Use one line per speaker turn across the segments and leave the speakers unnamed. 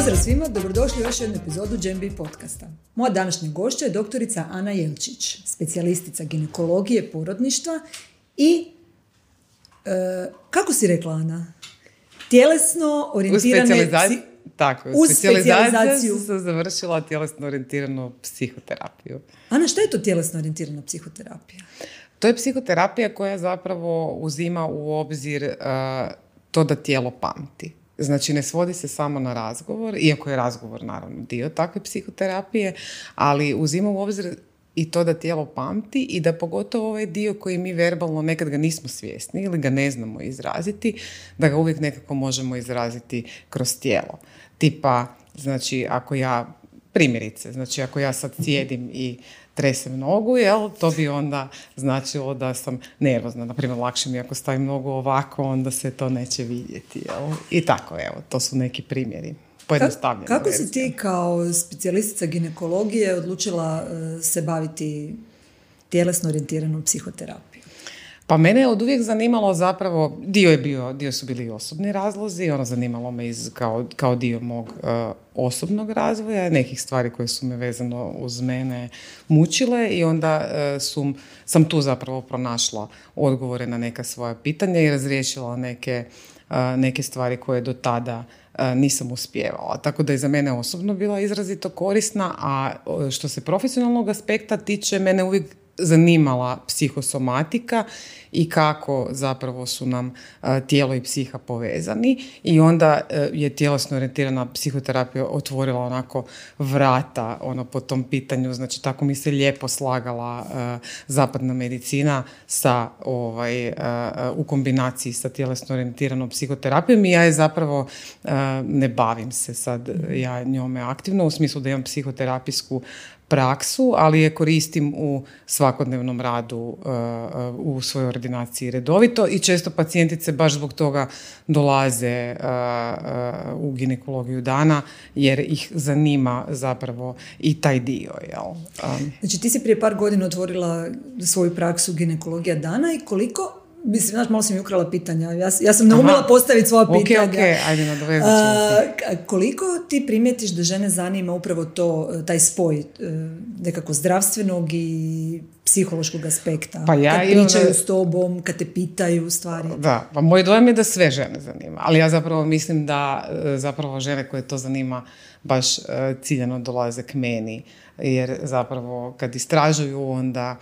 Pozdrav svima, dobrodošli u još jednu epizodu GenB podcasta. Moja današnja gošća je doktorica Ana Jelčić, specijalistica ginekologije, porodništva i, kako si rekla Ana? Tjelesno orijentirane...
Tako, u specijalizaciju sam završila tjelesno orijentiranu psihoterapiju.
Ana, šta je to tjelesno orijentirana psihoterapija?
To je psihoterapija koja zapravo uzima u obzir to da tijelo pamti. Znači, ne svodi se samo na razgovor, iako je razgovor naravno dio takve psihoterapije, ali uzima u obzir i to da tijelo pamti i da pogotovo ovaj dio koji mi verbalno nekad ga nismo svjesni ili ga ne znamo izraziti, da ga uvijek nekako možemo izraziti kroz tijelo. Tipa, znači, ako ja sad sjedim i tresem nogu, to bi onda značilo da sam nervozna. Naprimjer, lakše mi ako stavim nogu ovako, onda se to neće vidjeti. I tako, to su neki primjeri.
Kako si ti kao specijalistica ginekologije odlučila se baviti tjelesno orijentiranom psihoterapijom?
Pa mene je od uvijek zanimalo zapravo, dio su bili osobni razlozi, zanimalo me kao dio mog osobnog razvoja, nekih stvari koje su me vezano uz mene mučile i onda sam tu zapravo pronašla odgovore na neka svoja pitanja i razriješila neke stvari koje do tada nisam uspijevala. Tako da je za mene osobno bila izrazito korisna, a što se profesionalnog aspekta tiče, mene uvijek zanimala psihosomatika i kako zapravo su nam tijelo i psiha povezani i onda je tjelesno orijentirana psihoterapija otvorila onako vrata po tom pitanju, znači tako mi se lijepo slagala zapadna medicina sa u kombinaciji sa tjelesno orijentiranom psihoterapijom i ja je zapravo ne bavim se sad ja njome aktivno u smislu da imam psihoterapijsku praksu, ali je koristim u svakodnevnom radu u svojoj ordinaciji redovito i često pacijentice baš zbog toga dolaze u ginekologiju dana jer ih zanima zapravo i taj dio.
Znači ti si prije par godina otvorila svoju praksu ginekologija dana i koliko... Mislim, malo si mi ukrala pitanja. Ja sam naumila postaviti svoja pitanja.
Ok, ajde, nadovezat ću.
Koliko ti primijetiš da žene zanima upravo taj spoj nekako zdravstvenog i psihološkog aspekta?
Pa
kad pričaju s tobom, kad te pitaju stvari.
Da, pa moj dojam je da sve žene zanima. Ali ja zapravo mislim da zapravo žene koje to zanima baš ciljano dolaze k meni. Jer zapravo kad istražuju onda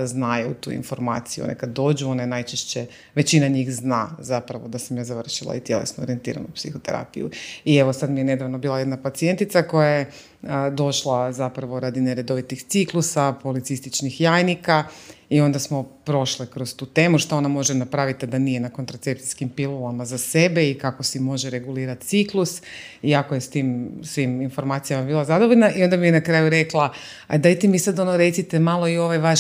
znaju tu informaciju. One kad dođu, one najčešće, većina njih zna zapravo da sam ja završila i tjelesno orijentiranu psihoterapiju. I evo sad mi je nedavno bila jedna pacijentica koja je došla zapravo radi neredovitih ciklusa, policističnih jajnika i onda smo prošle kroz tu temu što ona može napraviti da nije na kontracepcijskim pilulama za sebe i kako si može regulirati ciklus i ako je s tim svim informacijama bila zadovoljna i onda mi je na kraju rekla, a dajte mi sad recite malo i ovaj vaš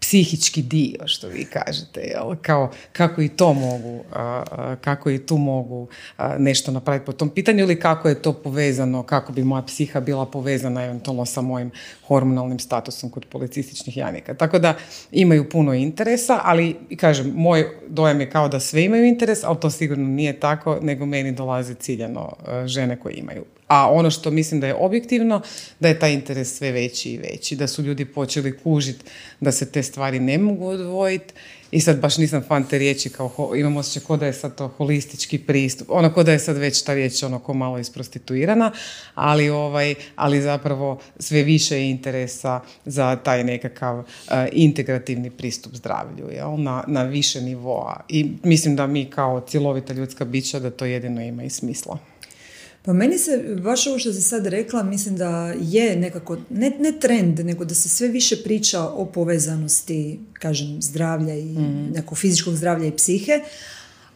psihički dio, što vi kažete, kao kako i tu mogu nešto napraviti po tom pitanju ili kako je to povezano, kako bi moja psiha bila povezana eventualno sa mojim hormonalnim statusom kod policističnih jajnika. Tako da imaju puno interesa, ali kažem, moj dojam je kao da sve imaju interes, ali to sigurno nije tako, nego meni dolaze ciljano žene koje imaju. A ono što mislim da je objektivno, da je taj interes sve veći i veći, da su ljudi počeli kužiti da se te stvari ne mogu odvojiti i sad baš nisam fan te riječi imam osjećaj kao da je sad to holistički pristup, kao da je sad već ta riječ ko malo isprostituirana, ali zapravo sve više je interesa za taj nekakav integrativni pristup zdravlju, na više nivoa i mislim da mi kao cjelovita ljudska bića da to jedino ima i smisla.
Pa meni se, baš ovo što si sad rekla, mislim da je nekako, ne trend, nego da se sve više priča o povezanosti, kažem, zdravlja i nekog fizičkog zdravlja i psihe,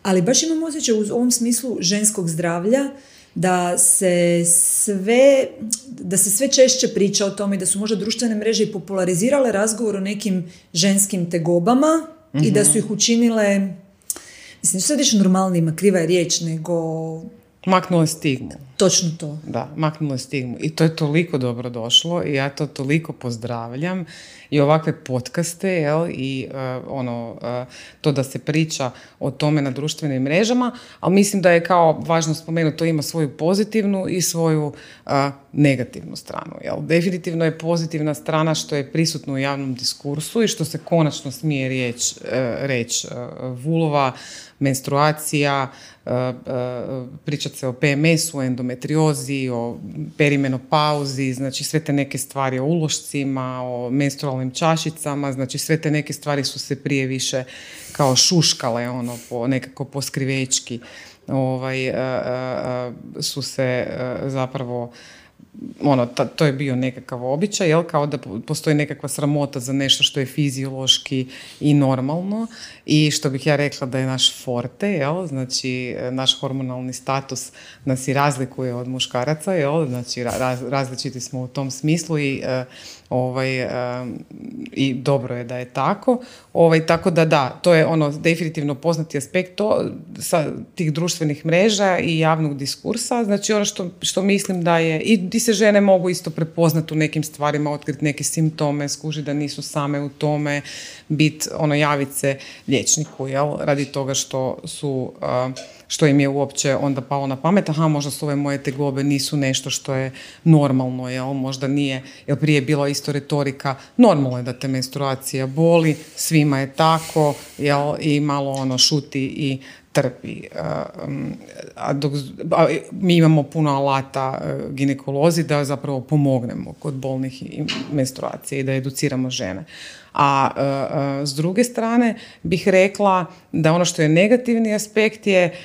ali baš imam osjećaj u ovom smislu ženskog zdravlja da se sve češće priča o tome i da su možda društvene mreže i popularizirale razgovor o nekim ženskim tegobama i da su ih učinile, mislim, sad više normalnijima, kriva je riječ, nego
Maknulo je stigmu.
Točno to.
Da, maknulo je stigmu. I to je toliko dobro došlo i ja to toliko pozdravljam. I ovakve podcaste, jel, i to da se priča o tome na društvenim mrežama, ali mislim da je kao važno spomenuti, to ima svoju pozitivnu i svoju negativnu stranu. Jel. Definitivno je pozitivna strana što je prisutno u javnom diskursu i što se konačno smije reći vulva, menstruacija, pričati se o PMS-u, endometriozi, o perimenopauzi, znači sve te neke stvari o ulošcima, o menstrualnim čašicama, znači sve te neke stvari su se prije više kao šuškale, nekako poskrivečki, su se zapravo to je bio nekakav običaj, jel, kao da postoji nekakva sramota za nešto što je fiziološki i normalno i što bih ja rekla da je naš forte, jel, znači naš hormonalni status nas i razlikuje od muškaraca, jel, znači različiti smo u tom smislu i dobro je da je tako. Tako da, to je definitivno poznati aspekt sa tih društvenih mreža i javnog diskursa, znači što mislim da je, i di se žene mogu isto prepoznati u nekim stvarima, otkriti neke simptome, skužiti da nisu same u tome, javiti se liječniku, jel, radi toga što im je uopće onda palo na pamet, možda su ove moje tegobe nisu nešto što je normalno, jel, možda nije, jer prije je bila isto retorika, normalno je da te menstruacija boli, svima je tako, jel, i malo šuti i trpi. Mi imamo puno alata ginekolozi da zapravo pomognemo kod bolnih menstruacija i da educiramo žene. A s druge strane bih rekla da ono što je negativni aspekt je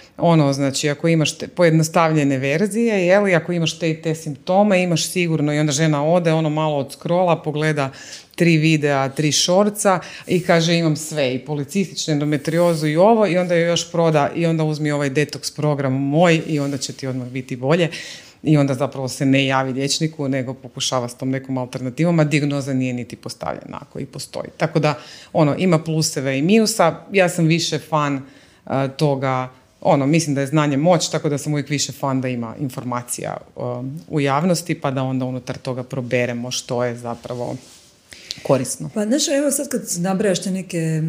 znači ako imaš pojednostavljene verzije, jeli, ako imaš te i te simptome, imaš sigurno i onda žena ode malo od scrolla, pogleda 3 videa, 3 šorca i kaže imam sve, i policističnu endometriozu i ovo, i onda joj još proda i onda uzmi ovaj detoks program moj i onda će ti odmah biti bolje. I onda zapravo se ne javi liječniku, nego pokušava s tom nekom alternativom, a dijagnoza nije niti postavljena ako i postoji. Tako da, ima pluseve i minusa. Ja sam više fan toga, mislim da je znanje moć, tako da sam uvijek više fan da ima informacija u javnosti, pa da onda unutar toga proberemo što je zapravo korisno.
Pa znaš, evo sad kad nabrajaš te neke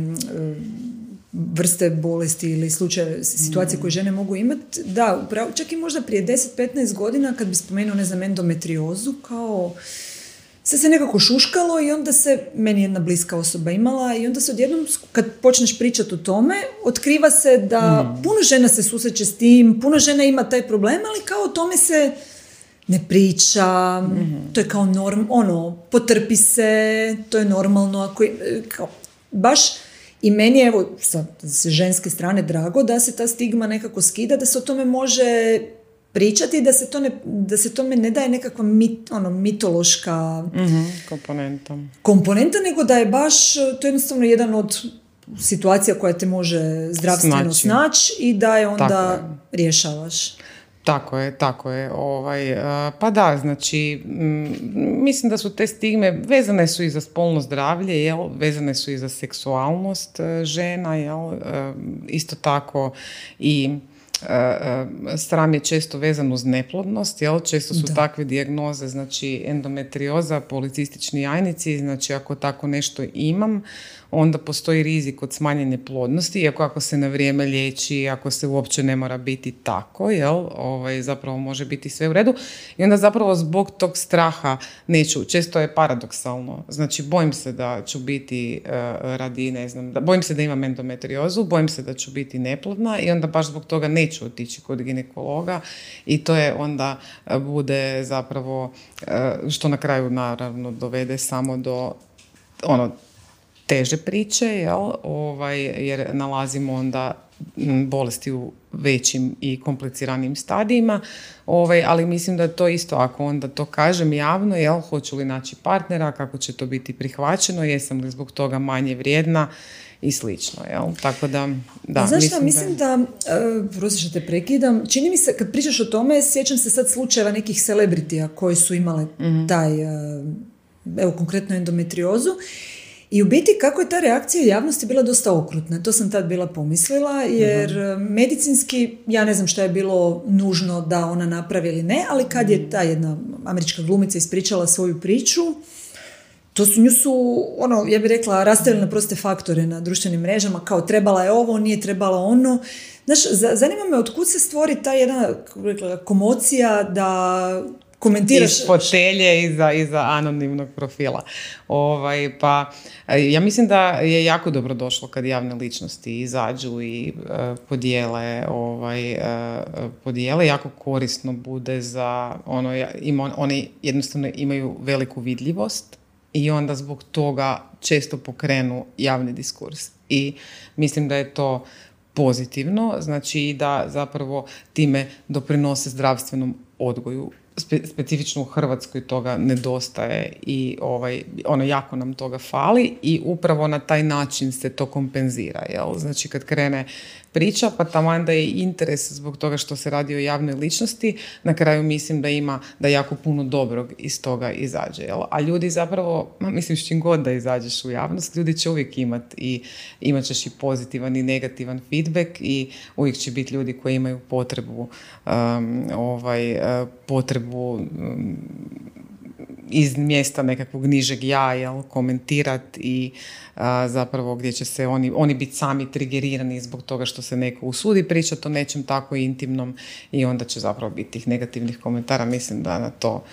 vrste bolesti ili slučaje, situacije koje žene mogu imati, da, upravo, čak i možda prije 10-15 godina kad bi spomenuo, endometriozu, kao se nekako šuškalo i onda meni jedna bliska osoba imala i onda se odjednom, kad počneš pričati o tome, otkriva se da puno žena se susreće s tim, puno žena ima taj problem, ali kao o tome se ne priča, to je kao potrpi se, to je normalno, ako kao, baš. I meni je, evo, sa ženske strane drago da se ta stigma nekako skida, da se o tome može pričati, da se tome ne daje nekakva mitološka komponenta, nego da je baš to jednostavno jedan od situacija koja te može zdravstveno snaći i da je onda rješavaš.
Tako je. Pa da, znači, mislim da su te stigme, vezane su i za spolno zdravlje, jel? Vezane su i za seksualnost žena, jel? Isto tako i sram je često vezan uz neplodnost, jel? Često su takve dijagnoze, znači endometrioza, policistični jajnici, znači ako tako nešto imam, onda postoji rizik od smanjene plodnosti, iako ako se na vrijeme liječi, ako se uopće ne mora biti tako, jel? Zapravo može biti sve u redu. I onda zapravo zbog tog straha neću, često je paradoksalno, znači bojim se da ću biti bojim se da imam endometriozu, bojim se da ću biti neplodna i onda baš zbog toga neću otići kod ginekologa i to je onda bude zapravo, što na kraju naravno dovede samo do teže priče, jel? Jer nalazimo onda bolesti u većim i kompliciranijim stadijima, ali mislim da to isto, ako onda to kažem javno, jel? Hoću li naći partnera, kako će to biti prihvaćeno, jesam li zbog toga manje vrijedna i slično, jel? Tako da,
znaš šta, mislim da prosim što te prekidam, čini mi se, kad pričaš o tome, sjećam se sad slučajeva nekih celebritija koji su imale taj, evo konkretno endometriozu. I u biti kako je ta reakcija javnosti bila dosta okrutna. To sam tad bila pomislila, jer medicinski, ja ne znam šta je bilo nužno da ona napravi ili ne, ali kad je ta jedna američka glumica ispričala svoju priču, nju su, ja bih rekla, rastavili na proste faktore na društvenim mrežama, kao trebala je ovo, nije trebala ono. Znaš, zanima me otkud se stvori ta jedna, kako rekla, komocija da komentiraš...
Iz fotelje, iza anonimnog profila. Pa, ja mislim da je jako dobro došlo kad javne ličnosti izađu i podijele. Jako korisno bude za oni jednostavno imaju veliku vidljivost i onda zbog toga često pokrenu javni diskurs. I mislim da je to pozitivno, znači i da zapravo time doprinose zdravstvenom odgoju. Specifično u Hrvatskoj toga nedostaje i jako nam toga fali i upravo na taj način se to kompenzira. Jel? Znači kad krene priča, pa taman da je interes zbog toga što se radi o javnoj ličnosti, na kraju mislim da jako puno dobrog iz toga izađe. Jel? A ljudi zapravo, mislim s čim god da izađeš u javnost, ljudi će uvijek imati i imat ćeš i pozitivan i negativan feedback i uvijek će biti ljudi koji imaju potrebu iz mjesta nekakvog nižeg ja, komentirati i zapravo gdje će se oni biti sami trigerirani zbog toga što se neko usudi pričati o nečem tako intimnom i onda će zapravo biti tih negativnih komentara. Mislim da na to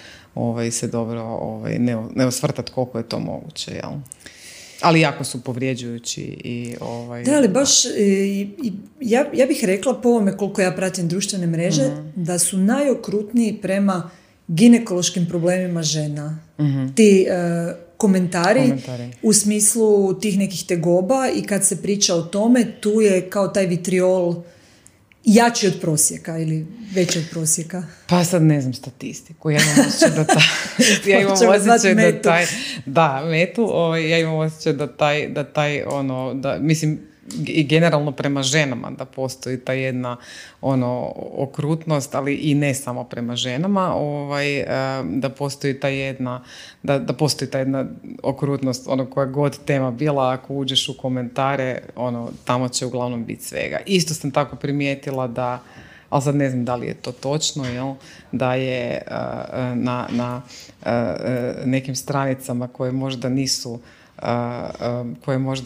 se dobro ne osvrtati koliko je to moguće, jel? Ali jako su povrijeđujući i
Da, ali baš ja bih rekla po ovome koliko ja pratim društvene mreže, da su najokrutniji prema ginekološkim problemima žena. Ti komentari u smislu tih nekih tegoba i kad se priča o tome, tu je kao taj vitriol jači od prosjeka ili veći od prosjeka.
Pa sad ne znam statistiku. Ja imam osjećaj da taj mislim, i generalno prema ženama da postoji ta jedna okrutnost, ali i ne samo prema ženama, da postoji ta jedna okrutnost, koja god tema bila, ako uđeš u komentare, tamo će uglavnom biti svega. Isto sam tako primijetila da, ali sad ne znam da li je to točno, jel? Da je na nekim stranicama koje možda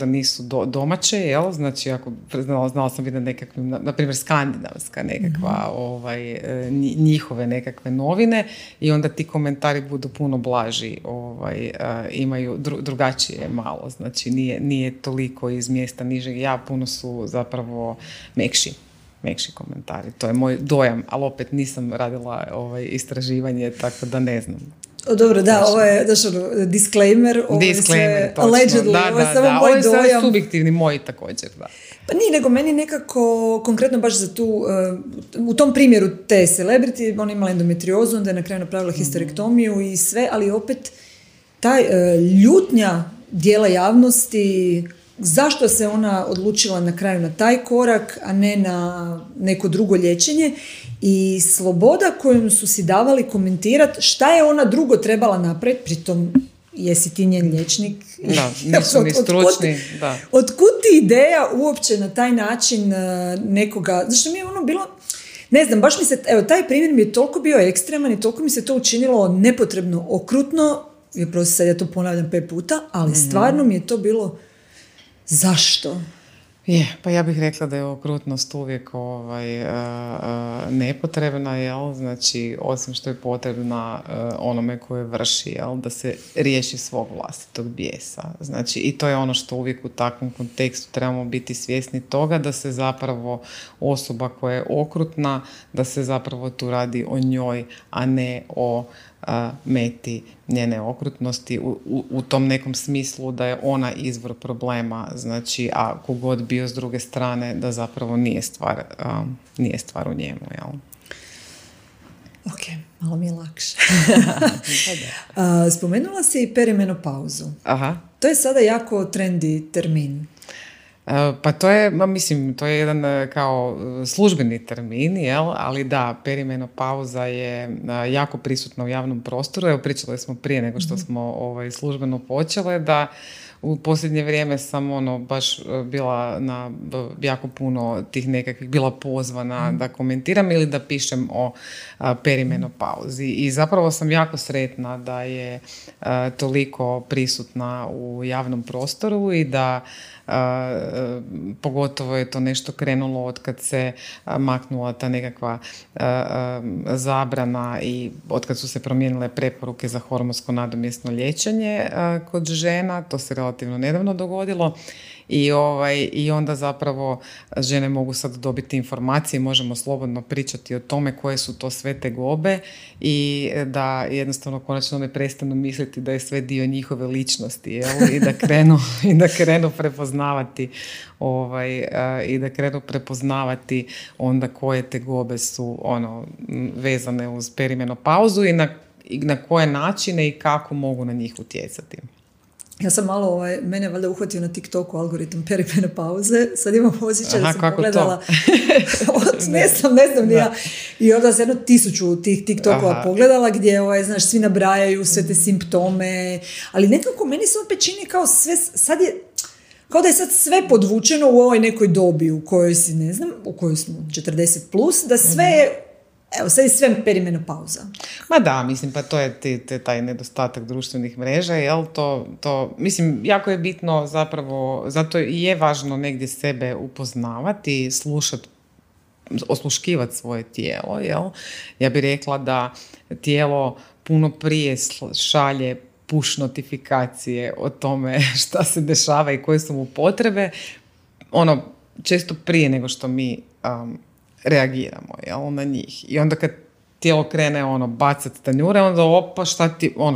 nisu domaće, jel? Znači, ako znala sam vidjeti nekakvim, na primjer skandinavska nekakva, njihove nekakve novine i onda ti komentari budu puno blaži, imaju drugačije malo, znači nije toliko iz mjesta nižeg ja, puno su zapravo mekši komentari. To je moj dojam, ali opet nisam radila istraživanje, tako da ne znam.
Dobro, da, ovo je disclaimer, ovo je sve allegedly, ovo je samo moj dojam. Ovo je
subjektivni moj također, da.
Pa nije, nego meni nekako, konkretno baš za tu, u tom primjeru te celebrity, ona imala endometriozu, onda je na kraju napravila histerektomiju i sve, ali opet taj ljutnja dijela javnosti, zašto se ona odlučila na kraju na taj korak, a ne na neko drugo liječenje i sloboda kojom su si davali komentirati šta je ona drugo trebala napraviti, pritom jesi ti njen liječnik.
Da, nisu ni stručni.
Otkud ti ideja uopće na taj način nekoga, zašto mi je bilo, ne znam, baš mi se, evo, taj primjer mi je toliko bio ekstreman i toliko mi se to učinilo nepotrebno okrutno, sad ja to ponavljam 5 puta, ali stvarno mi je to bilo zašto?
Pa ja bih rekla da je okrutnost uvijek nepotrebna, jel? Znači, osim što je potrebna onome koje vrši, jel? Da se riješi svog vlastitog bijesa. Znači, i to je ono što uvijek u takvom kontekstu trebamo biti svjesni toga, da se zapravo osoba koja je okrutna, da se zapravo tu radi o njoj, a ne o meti njene okrutnosti u tom nekom smislu da je ona izvor problema, znači, a kogod bio s druge strane, da zapravo nije stvar u njemu, jel?
Ok, malo mi je lakše. Spomenula si i perimenopauzu.
Aha.
To je sada jako trendy termin.
Pa to je jedan kao službeni termin, jel? Ali da, perimenopauza je jako prisutna u javnom prostoru. Evo, pričali smo prije nego što smo službeno počele, da u posljednje vrijeme sam baš bila na jako puno tih nekakvih, bila pozvana da komentiram ili da pišem o perimenopauzi. I zapravo sam jako sretna da je toliko prisutna u javnom prostoru i da pogotovo je to nešto krenulo od kad se maknula ta nekakva zabrana i od kad su se promijenile preporuke za hormonsko nadomjesno liječenje kod žena. To se relativno nedavno dogodilo. I onda zapravo žene mogu sad dobiti informacije, možemo slobodno pričati o tome koje su to sve tegobe i da jednostavno konačno ne prestanu misliti da je sve dio njihove ličnosti, jel? I da krenu prepoznavati onda koje tegobe su vezane uz perimenopauzu i na koje načine i kako mogu na njih utjecati.
Ja sam malo, mene valjda uhvatio na TikToku algoritam perimenopauze. Sad imam osjećaj da sam pogledala. ne znam ni ja. I onda sam 1000 tih TikTokova pogledala gdje, znaš, svi nabrajaju sve te simptome. Ali nekako meni se opet čini kao sve, sad je, kao da je sad sve podvučeno u ovoj nekoj dobi u kojoj si, ne znam, u kojoj smo 40+, da sve je, evo, sad je sve perimenopauza.
Ma da, mislim, pa to je taj nedostatak društvenih mreža, jel? To, mislim, jako je bitno zapravo, zato i je važno negdje sebe upoznavati, osluškivati svoje tijelo, jel? Ja bih rekla da tijelo puno prije šalje push notifikacije o tome šta se dešava i koje su mu potrebe, često prije nego što mi reagiramo, jel, na njih. I onda kad tijelo krene bacati tanjure, onda opa,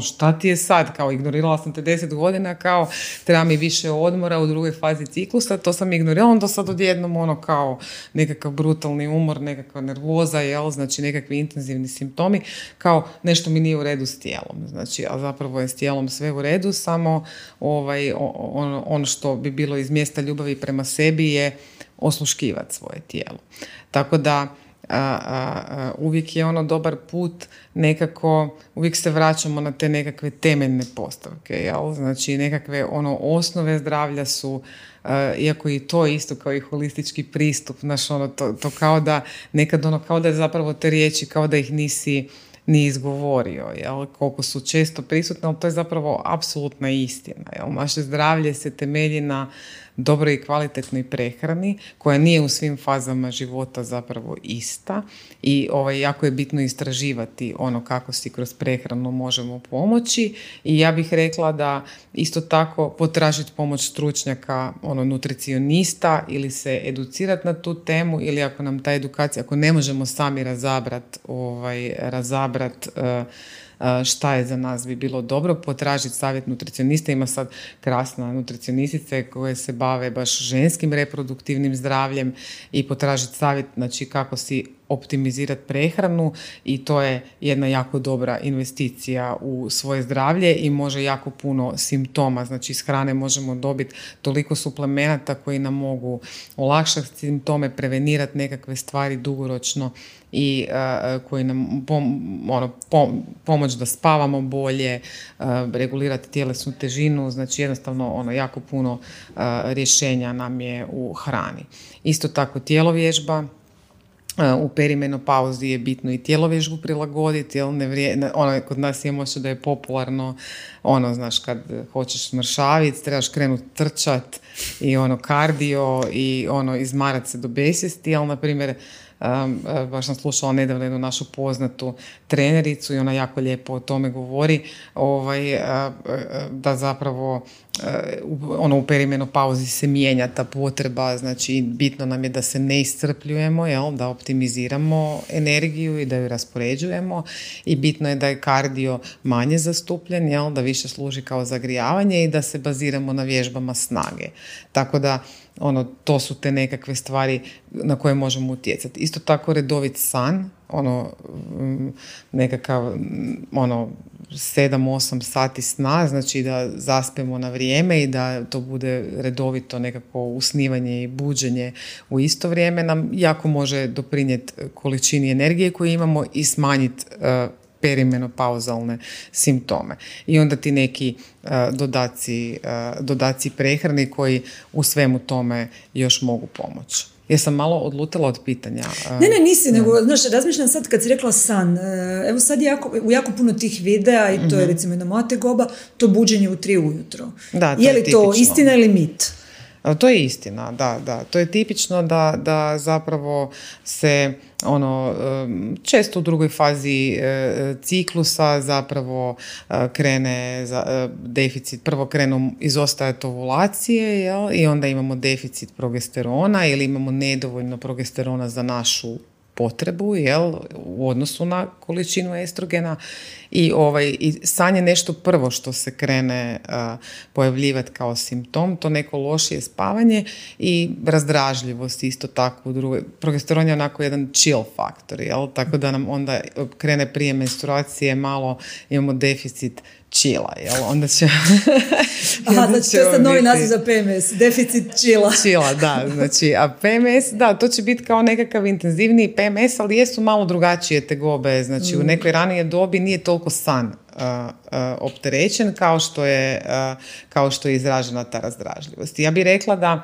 šta ti je sad? Kao, ignorirala sam te 10 godina, kao, treba mi više odmora u drugoj fazi ciklusa, to sam ignorirala, onda sad odjednom kao nekakav brutalni umor, nekakva nervoza, jel, znači nekakvi intenzivni simptomi, kao nešto mi nije u redu s tijelom. Znači, a zapravo je s tijelom sve u redu, samo ono što bi bilo iz mjesta ljubavi prema sebi je osluškivati svoje tijelo. Tako da uvijek je dobar put nekako, uvijek se vraćamo na te nekakve temeljne postavke, jel? Znači nekakve osnove zdravlja su, iako i to isto kao i holistički pristup, znaš, to kao da nekad kao da je zapravo te riječi kao da ih nisi ni izgovorio, jel? Koliko su često prisutne, ali to je zapravo apsolutna istina, jel? Naše zdravlje se temelji na dobroj i kvalitetnoj prehrani koja nije u svim fazama života zapravo ista i jako je bitno istraživati kako si kroz prehranu možemo pomoći i ja bih rekla da isto tako potražiti pomoć stručnjaka, nutricionista ili se educirati na tu temu ili ako nam ta edukacija, ako ne možemo sami razabrat šta je za nas bi bilo dobro, potražiti savjet nutricionista. Ima sad krasna nutricionistice koje se bave baš ženskim reproduktivnim zdravljem i potražiti savjet, znači kako si optimizirati prehranu i to je jedna jako dobra investicija u svoje zdravlje i može jako puno simptoma, znači iz hrane možemo dobiti toliko suplemenata koji nam mogu olakšati simptome, prevenirati nekakve stvari dugoročno i koji nam pomoć da spavamo bolje, regulirati tjelesnu težinu, znači jednostavno jako puno rješenja nam je u hrani. Isto tako tjelovježba. U perimenopauzi je bitno i tjelovježbu prilagoditi, jel kod nas imamo što da je popularno, znaš, kad hoćeš smršaviti, trebaš krenuti trčat i kardio i izmarat se do besvijesti, ali na primjer baš sam slušala nedavno jednu našu poznatu trenericu i ona jako lijepo o tome govori, da zapravo u perimenopauzi se mijenja ta potreba, znači bitno nam je da se ne iscrpljujemo, jel, da optimiziramo energiju i da ju raspoređujemo i bitno je da je kardio manje zastupljen, jel, da više služi kao zagrijavanje i da se baziramo na vježbama snage. Tako da to su te nekakve stvari na koje možemo utjecati. Isto tako redovit san, nekakav 7-8 sati sna, znači da zaspemo na vrijeme i da to bude redovito nekako usnivanje i buđenje u isto vrijeme nam jako može doprinijeti količini energije koju imamo i smanjiti perimenopauzalne simptome. I onda ti neki dodaci prehrani koji u svemu tome još mogu pomoći. Jesam malo odlutala od pitanja?
Ne, nisi, nego, znaš, razmišljam sad kad si rekla san. Evo sad u jako puno tih videa, i to je recimo jedna moja tegoba, to buđenje u 3 ujutro.
Da,
je li to istina ili mit?
To je istina, da. To je tipično da zapravo se često u drugoj fazi ciklusa zapravo krene deficit, prvo krenu izostajati ovulacije, jel? I onda imamo deficit progesterona ili imamo nedovoljno progesterona za našu potrebu, jel, u odnosu na količinu estrogena i san je nešto prvo što se krene pojavljivati kao simptom, to neko lošije spavanje i razdražljivost isto tako u drugoj. Progesteron je onako jedan chill faktor, jel, tako da nam onda krene prije menstruacije malo, imamo deficit chilla, jel, onda će...
Aha, znači to je sad novi naziv za PMS, deficit chilla.
Chilla, da, znači, a PMS, da, to će biti kao nekakav intenzivniji PMS, ali jesu malo drugačije tegobe, znači u nekoj ranije dobi nije toliko san opterećen kao što je izražena ta razdražljivost. Ja bih rekla da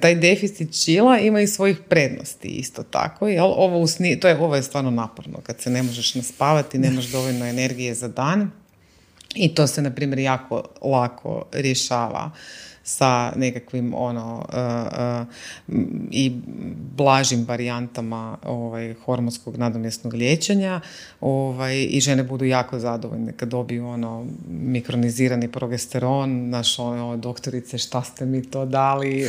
taj deficit chilla ima i svojih prednosti isto tako, jel? Ovo je stvarno naporno, kad se ne možeš naspavati, nemaš dovoljno energije za dan. I to se, na primjer, jako lako rješava sa nekakvim i blažim varijantama hormonskog nadomjesnog liječenja i žene budu jako zadovoljne kad dobiju mikronizirani progesteron, doktorice šta ste mi to dali,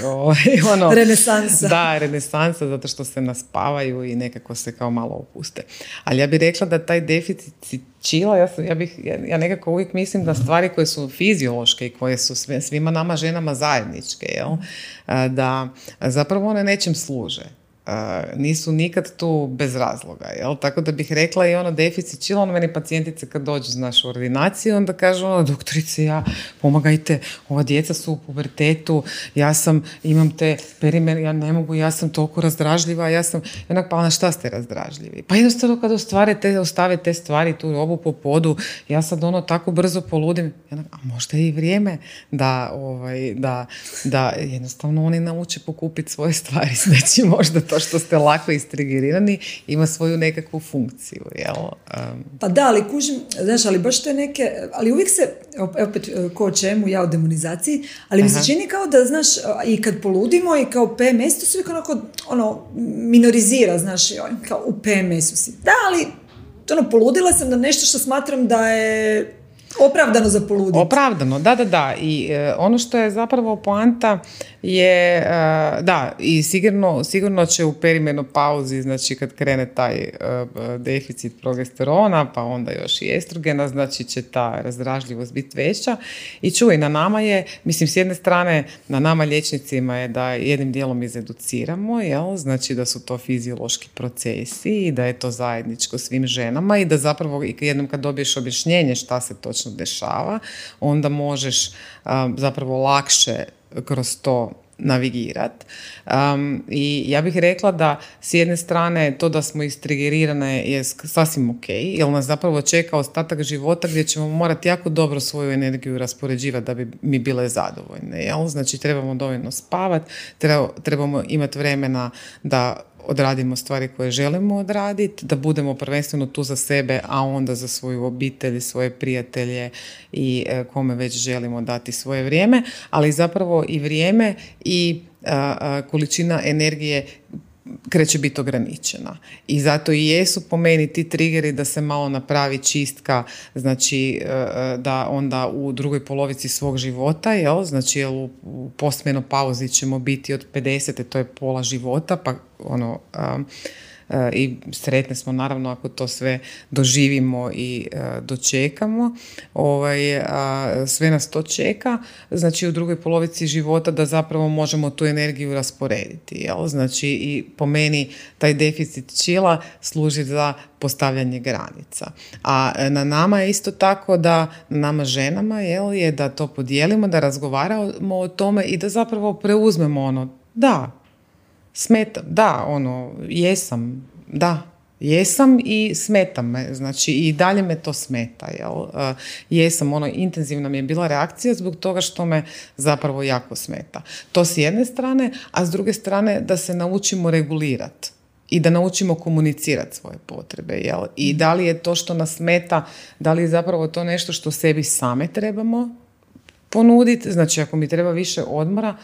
renesansa.
Da, renesansa, zato što se naspavaju i nekako se kao malo opuste. Ali ja bih rekla da taj deficit chilla, ja nekako uvijek mislim da stvari koje su fiziološke i koje su svima nama ženama zajedničke, jel? Da zapravo one nečem služe. Nisu nikad tu bez razloga, jel? Tako da bih rekla i deficit chilla, meni pacijentice kad dođu u našu ordinaciju, onda kažu, doktorice, pomagajte, ova djeca su u pubertetu, imam te perimer, ja ne mogu, ja sam toliko razdražljiva, pa na šta ste razdražljivi? Pa jednostavno kad ostave te stvari, tu robu po podu, ja sad tako brzo poludim, a možda je i vrijeme da jednostavno oni nauče pokupiti svoje stvari, znači možda to što ste lako istrigirani ima svoju nekakvu funkciju, jel?
Pa da, ali kužim, znaš, ali baš to je ali uvijek se, opet ko o čemu, ja o demonizaciji, ali mi se čini kao da, znaš, i kad poludimo i kao PMS, to se uvijek minorizira, znaš, kao u PMS-u si. Da, ali poludila sam na nešto što smatram da je opravdano za poluditi.
Opravdano, da. I ono što je zapravo poanta je, i sigurno će u perimenopauzi, znači kad krene taj deficit progesterona, pa onda još i estrogena, znači će ta razdražljivost biti veća. I čuj, na nama je, mislim, s jedne strane, na nama liječnicima je da jednim dijelom izeduciramo, jel? Znači da su to fiziološki procesi i da je to zajedničko svim ženama i da zapravo jednom kad dobiješ objašnjenje šta se točno dešava, onda možeš zapravo lakše kroz to navigirati. I ja bih rekla da s jedne strane to da smo istrigerirane je sasvim ok, jer nas zapravo čeka ostatak života gdje ćemo morati jako dobro svoju energiju raspoređivati da bi mi bile zadovoljne. Jel? Znači trebamo dovoljno spavati, trebamo imati vremena da odradimo stvari koje želimo odraditi, da budemo prvenstveno tu za sebe, a onda za svoju obitelj, svoje prijatelje i kome već želimo dati svoje vrijeme, ali zapravo i vrijeme i količina energije kreće biti ograničena. I zato i jesu po meni ti triggeri da se malo napravi čistka, znači da onda u drugoj polovici svog života, jel? Znači u postmenopauzi ćemo biti od 50, to je pola života, pa i sretne smo naravno ako to sve doživimo i dočekamo. Sve nas to čeka, znači u drugoj polovici života da zapravo možemo tu energiju rasporediti. Jel? Znači i po meni taj deficit chilla služi za postavljanje granica. A na nama je isto tako da, na nama ženama je da to podijelimo, da razgovaramo o tome i da zapravo preuzmemo da, smetam, da, jesam, da, Jesam i smeta me, znači i dalje me to smeta, jel? Jesam, intenzivna mi je bila reakcija zbog toga što me zapravo jako smeta. To s jedne strane, a s druge strane da se naučimo regulirati i da naučimo komunicirati svoje potrebe, jel? I da li je to što nas smeta, da li je zapravo to nešto što sebi same trebamo ponuditi, znači ako mi treba više odmora,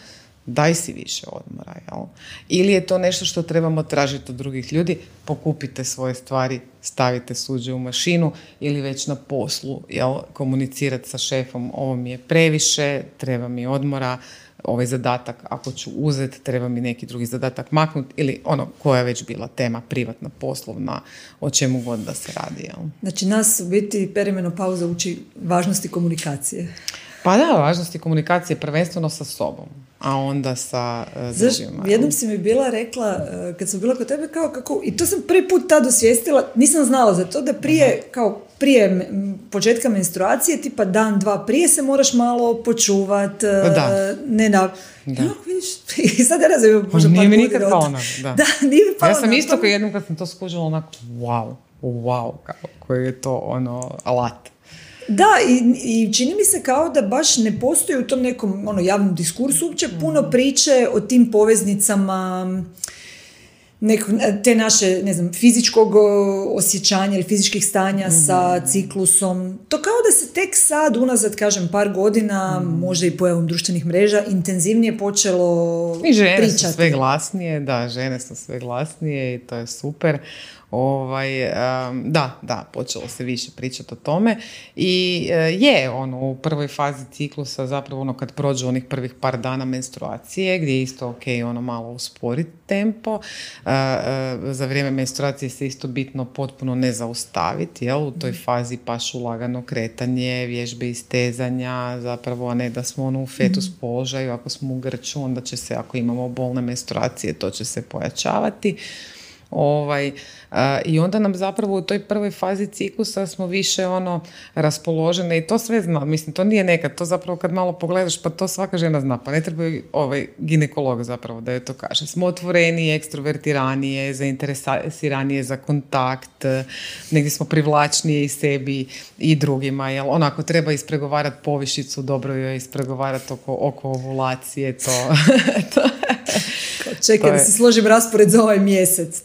daj si više odmora, jel? Ili je to nešto što trebamo tražiti od drugih ljudi, pokupite svoje stvari, stavite suđe u mašinu ili već na poslu, jel? Komunicirati sa šefom, ovo mi je previše, treba mi odmora, ovaj zadatak ako ću uzeti, treba mi neki drugi zadatak maknuti ili koja je već bila tema, privatna, poslovna, o čemu god da se radi, jel?
Znači nas u biti perimenopauza uči važnosti komunikacije.
Pa da, važnosti komunikacije prvenstveno sa sobom, a onda sa drugima.
Jednom si mi bila rekla, kad sam bila kod tebe, kako, i to sam prvi put tad osvijestila, nisam znala za to da prije početka menstruacije, tipa dan, dva prije se moraš malo počuvat, vidiš, i sad ja razumim, možda
nije mi nikad palo na
da. Nije mi palo
ja sam isto kao jednom kad sam to skužila onako, wow, koji je to alat.
Da, i čini mi se kao da baš ne postoji u tom nekom javnom diskursu uopće puno priče o tim poveznicama te naše, ne znam, fizičkog osjećanja ili fizičkih stanja sa ciklusom. To kao da se tek sad, unazad, kažem, par godina, možda i pojavom društvenih mreža, intenzivnije počelo pričati. I žene su
sve glasnije, žene su sve glasnije i to je super. Da, počelo se više pričati o tome i u prvoj fazi ciklusa zapravo kad prođu onih prvih par dana menstruacije gdje je isto malo usporiti tempo, za vrijeme menstruacije se isto bitno potpuno ne zaustaviti, jel? U toj fazi pašu lagano kretanje, vježbe istezanja, zapravo a ne da smo u fetus položaju, ako smo u grču onda će se, ako imamo bolne menstruacije, to će se pojačavati. I onda nam zapravo u toj prvoj fazi ciklusa smo više raspoložene i to sve zna, mislim to nije nekad, to zapravo kad malo pogledaš pa to svaka žena zna, pa ne treba ginekolog zapravo da joj to kaže. Smo otvorenije, ekstrovertiranije, zainteresiranije za kontakt, negdje smo privlačnije i sebi i drugima, jel? Onako treba ispregovarati povišicu, dobro joj ispregovarati oko ovulacije, to
čekaj da se složim raspored za ovaj mjesec.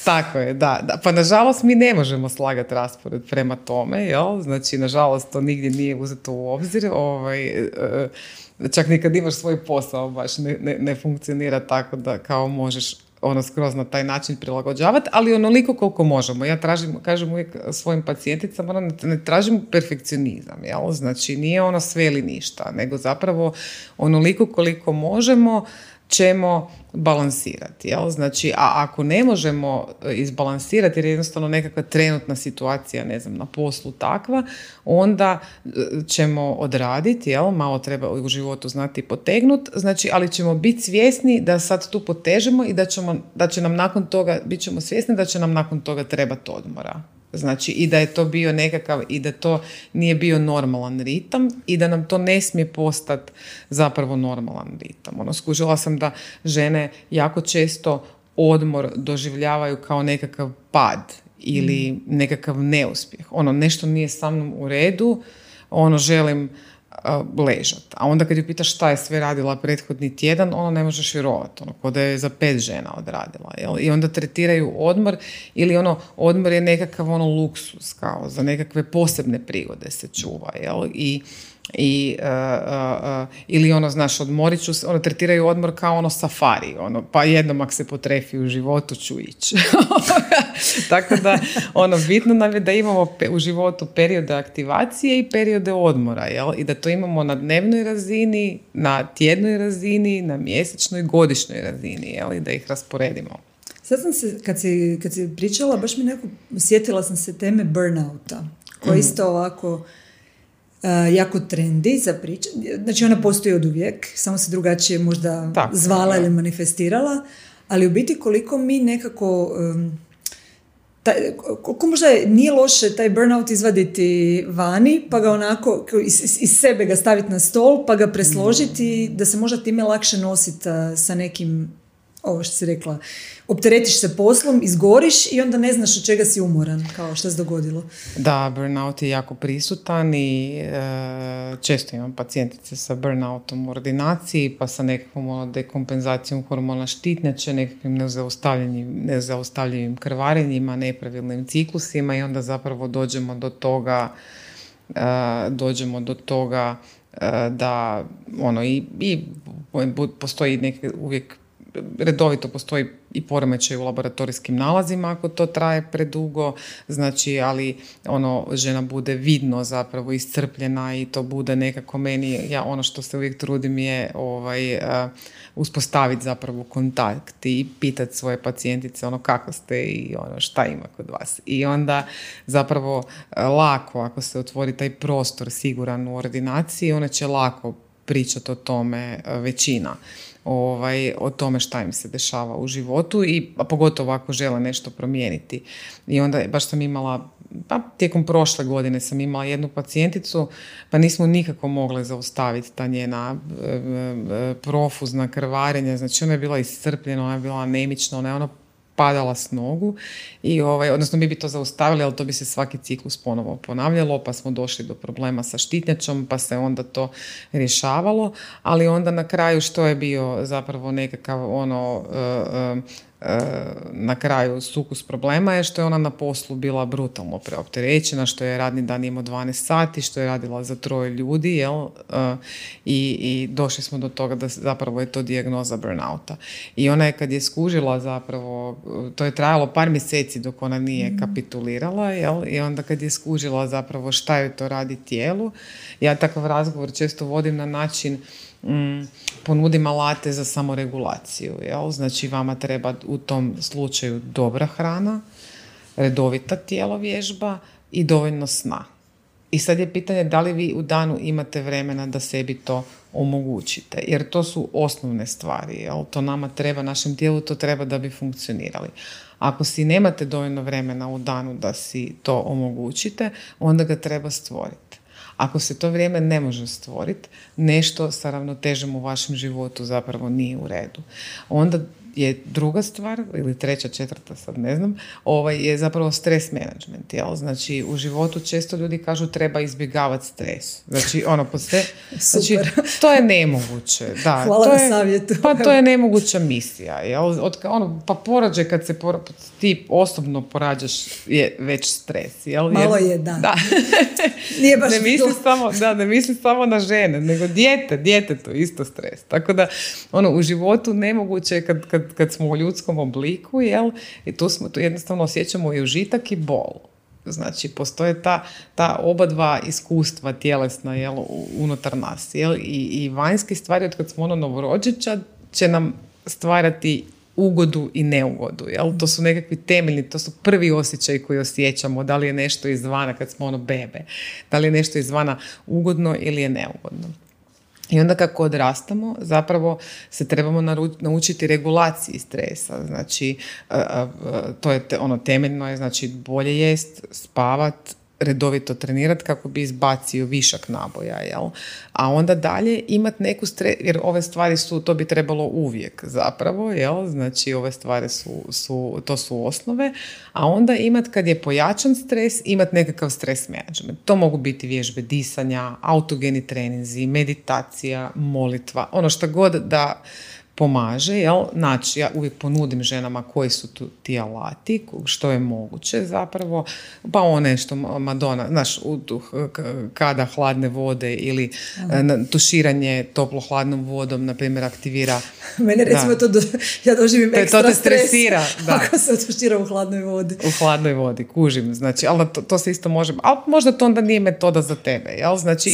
Tako je, da. Pa nažalost mi ne možemo slagati raspored prema tome, jel? Znači nažalost to nigdje nije uzeto u obzir, čak ni kad imaš svoj posao baš ne funkcionira tako da kao možeš skroz na taj način prilagođavati, ali onoliko koliko možemo. Ja kažem uvijek svojim pacijenticama, ne tražim perfekcionizam, jel? Znači nije sve ili ništa, nego zapravo onoliko koliko možemo ćemo balansirati, jel? Znači, a ako ne možemo izbalansirati jer je jednostavno nekakva trenutna situacija, ne znam, na poslu takva, onda ćemo odraditi, jel? Malo treba u životu znati potegnuti, znači, ali ćemo biti svjesni da sad tu potežemo i da će nam nakon toga, bit ćemo svjesni da će nam nakon toga trebati odmora. Znači, i da je to bio nekakav, i da to nije bio normalan ritam i da nam to ne smije postati zapravo normalan ritam. Skužila sam da žene jako često odmor doživljavaju kao nekakav pad ili nekakav neuspjeh. Nešto nije sa mnom u redu, želim ležat. A onda kad ju pitaš šta je sve radila prethodni tjedan, ne možeš vjerovati, ko da je za 5 žena odradila. Jel? I onda tretiraju odmor ili odmor je nekakav luksus, kao za nekakve posebne prigode se čuva. Jel? Ili odmorit ću, tretiraju odmor kao safari, pa jednom ak se potrefi u životu ću ići. Tako da, bitno nam je da imamo u životu periode aktivacije i periode odmora, jel? I da to imamo na dnevnoj razini, na tjednoj razini, na mjesečnoj, godišnjoj razini, jel? I da ih rasporedimo.
Sad sam se, kad si pričala, baš sjetila sam se teme burnouta, koja isto ovako jako trendi za pričanje. Znači ona postoji od uvijek, samo se drugačije možda zvala ili manifestirala, ali u biti koliko mi nekako koliko možda nije loše taj burnout izvaditi vani, pa ga onako iz sebe ga staviti na stol, pa ga presložiti da se možda time lakše nositi sa nekim ovo što si rekla, opteretiš se poslom, izgoriš i onda ne znaš od čega si umoran, kao što se dogodilo.
Da, burnout je jako prisutan i često imam pacijentice sa burnoutom u ordinaciji, pa sa nekakvom dekompenzacijom hormona štitnjače, nekakvim nezaustavljivim krvarenjima, nepravilnim ciklusima i onda zapravo dođemo do toga da i postoji uvijek redovito postoji i poremećaj u laboratorijskim nalazima ako to traje predugo, znači, ali žena bude vidno zapravo iscrpljena i to bude nekako meni, ja ono što se uvijek trudim je uspostaviti zapravo kontakt i pitati svoje pacijentice kako ste i šta ima kod vas. I onda zapravo lako, ako se otvori taj prostor siguran u ordinaciji, ona će lako pričati o tome većina. O tome šta im se dešava u životu a pogotovo ako žele nešto promijeniti. I onda baš sam imala, tijekom prošle godine sam imala jednu pacijenticu, pa nismo nikako mogli zaustaviti ta njena profuzna krvarenja, znači ona je bila iscrpljena, ona je bila anemična, ona je padala s nogu i odnosno mi bi to zaustavili, ali to bi se svaki ciklus ponovo ponavljalo, pa smo došli do problema sa štitnjačom, pa se onda to rješavalo, ali onda na kraju što je bio zapravo nekakav na kraju sukus problema je što je ona na poslu bila brutalno preopterećena, što je radni dan imao 12 sati, što je radila za 3 ljudi, i došli smo do toga da zapravo je to dijagnoza burnouta. I ona je kad je skužila zapravo, to je trajalo par mjeseci dok ona nije kapitulirala, i onda kad je skužila zapravo šta joj to radi tijelu, ja takav razgovor često vodim na način ponudim alate za samoregulaciju. Znači vama treba u tom slučaju dobra hrana, redovita tijelovježba i dovoljno sna. I sad je pitanje da li vi u danu imate vremena da sebi to omogućite. Jer to su osnovne stvari. To nama treba, našem tijelu to treba da bi funkcionirali. Ako si nemate dovoljno vremena u danu da si to omogućite, onda ga treba stvoriti. Ako se to vrijeme ne može stvoriti, nešto sa ravnotežom u vašem životu zapravo nije u redu. Onda je druga stvar, ili treća, četvrta, sad ne znam, je zapravo stres management. Znači, u životu često ljudi kažu treba izbjegavati stres. Znači, znači, to je nemoguće. Da,
hvala na savjetu.
Pa to je nemoguća misija. Pa porođaj kad se ti osobno porađaš je već stres.
Malo je, da.
Nije baš ne mislim samo na žene, nego djetetu isto stres. Tako da, u životu nemoguće je kad smo u ljudskom obliku, i tu jednostavno osjećamo i užitak i bol. Znači, postoje ta oba dva iskustva tjelesna unutar nas. I vanjske stvari od kad smo novorođenčad će nam stvarati ugodu i neugodu. To su nekakvi temeljni, to su prvi osjećaji koji osjećamo, da li je nešto izvana kad smo bebe, da li je nešto izvana ugodno ili je neugodno. I onda kako odrastamo, zapravo se trebamo naučiti regulaciji stresa. Znači, to je temeljno je, znači, bolje jest, spavat, redovito trenirati kako bi izbacio višak naboja, A onda dalje imati neku stres, jer ove stvari to bi trebalo uvijek zapravo, Znači, ove stvari to su osnove, a onda imati kad je pojačan stres, imati nekakav stres management. To mogu biti vježbe disanja, autogeni treninzi, meditacija, molitva, što god da pomaže, Znači, ja uvijek ponudim ženama koji su ti alati, što je moguće zapravo, pa što Madonna, znaš, kada hladne vode ili tuširanje toplo-hladnom vodom, na primjer, aktivira.
Mene recimo ja doživim ekstra
to te stresira,
ako se tušira u hladnoj vodi.
U hladnoj vodi, kužim, znači, ali to se isto može, ali možda to onda nije metoda za tebe, znači,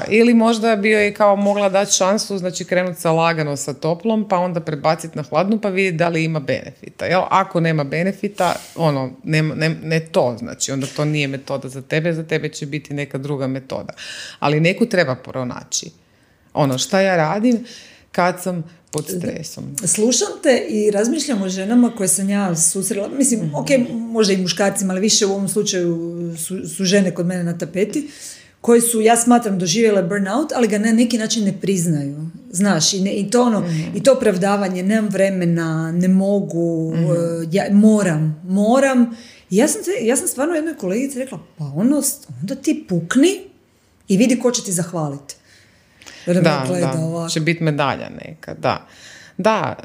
ili možda bi joj kao mogla dati šansu, znači krenuti sa lagano sa toplom, pa onda prebaciti na hladnu pa vidjeti da li ima benefita. Ako nema benefita, ne to, znači onda to nije metoda za tebe će biti neka druga metoda. Ali neku treba pronaći. Šta ja radim kad sam pod stresom.
Slušam te i razmišljam o ženama koje sam ja susrela, mislim, ok, možda i muškarcima, ali više u ovom slučaju su žene kod mene na tapeti, koje su, ja smatram, doživjele burnout, ali ga na neki način ne priznaju. Znaš, i to ono, i to opravdavanje, nemam vremena, ne mogu, ja moram. I ja sam stvarno jednoj kolegici rekla, pa onda ti pukni i vidi ko će ti zahvaliti.
Da, će biti medalja neka, da. Da,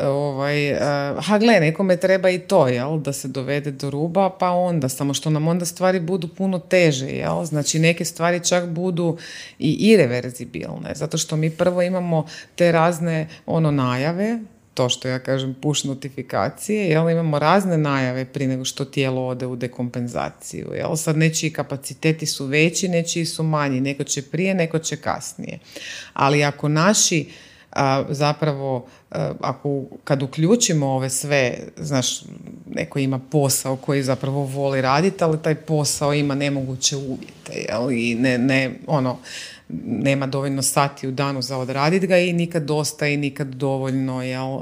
gle, nekome treba i to, jel, da se dovede do ruba, pa onda, samo što nam onda stvari budu puno teže, jel, znači neke stvari čak budu i irreverzibilne, zato što mi prvo imamo te razne najave, to što ja kažem push notifikacije, jel, imamo razne najave prije nego što tijelo ode u dekompenzaciju, jel, sad nečiji kapaciteti su veći, nečiji su manji, neko će prije, neko će kasnije, ali ako naši zapravo, kad uključimo ove sve, znaš, neko ima posao koji zapravo voli raditi, ali taj posao ima nemoguće uvjete, jel, i nema dovoljno sati u danu za odraditi ga i nikad dosta i nikad dovoljno, jel,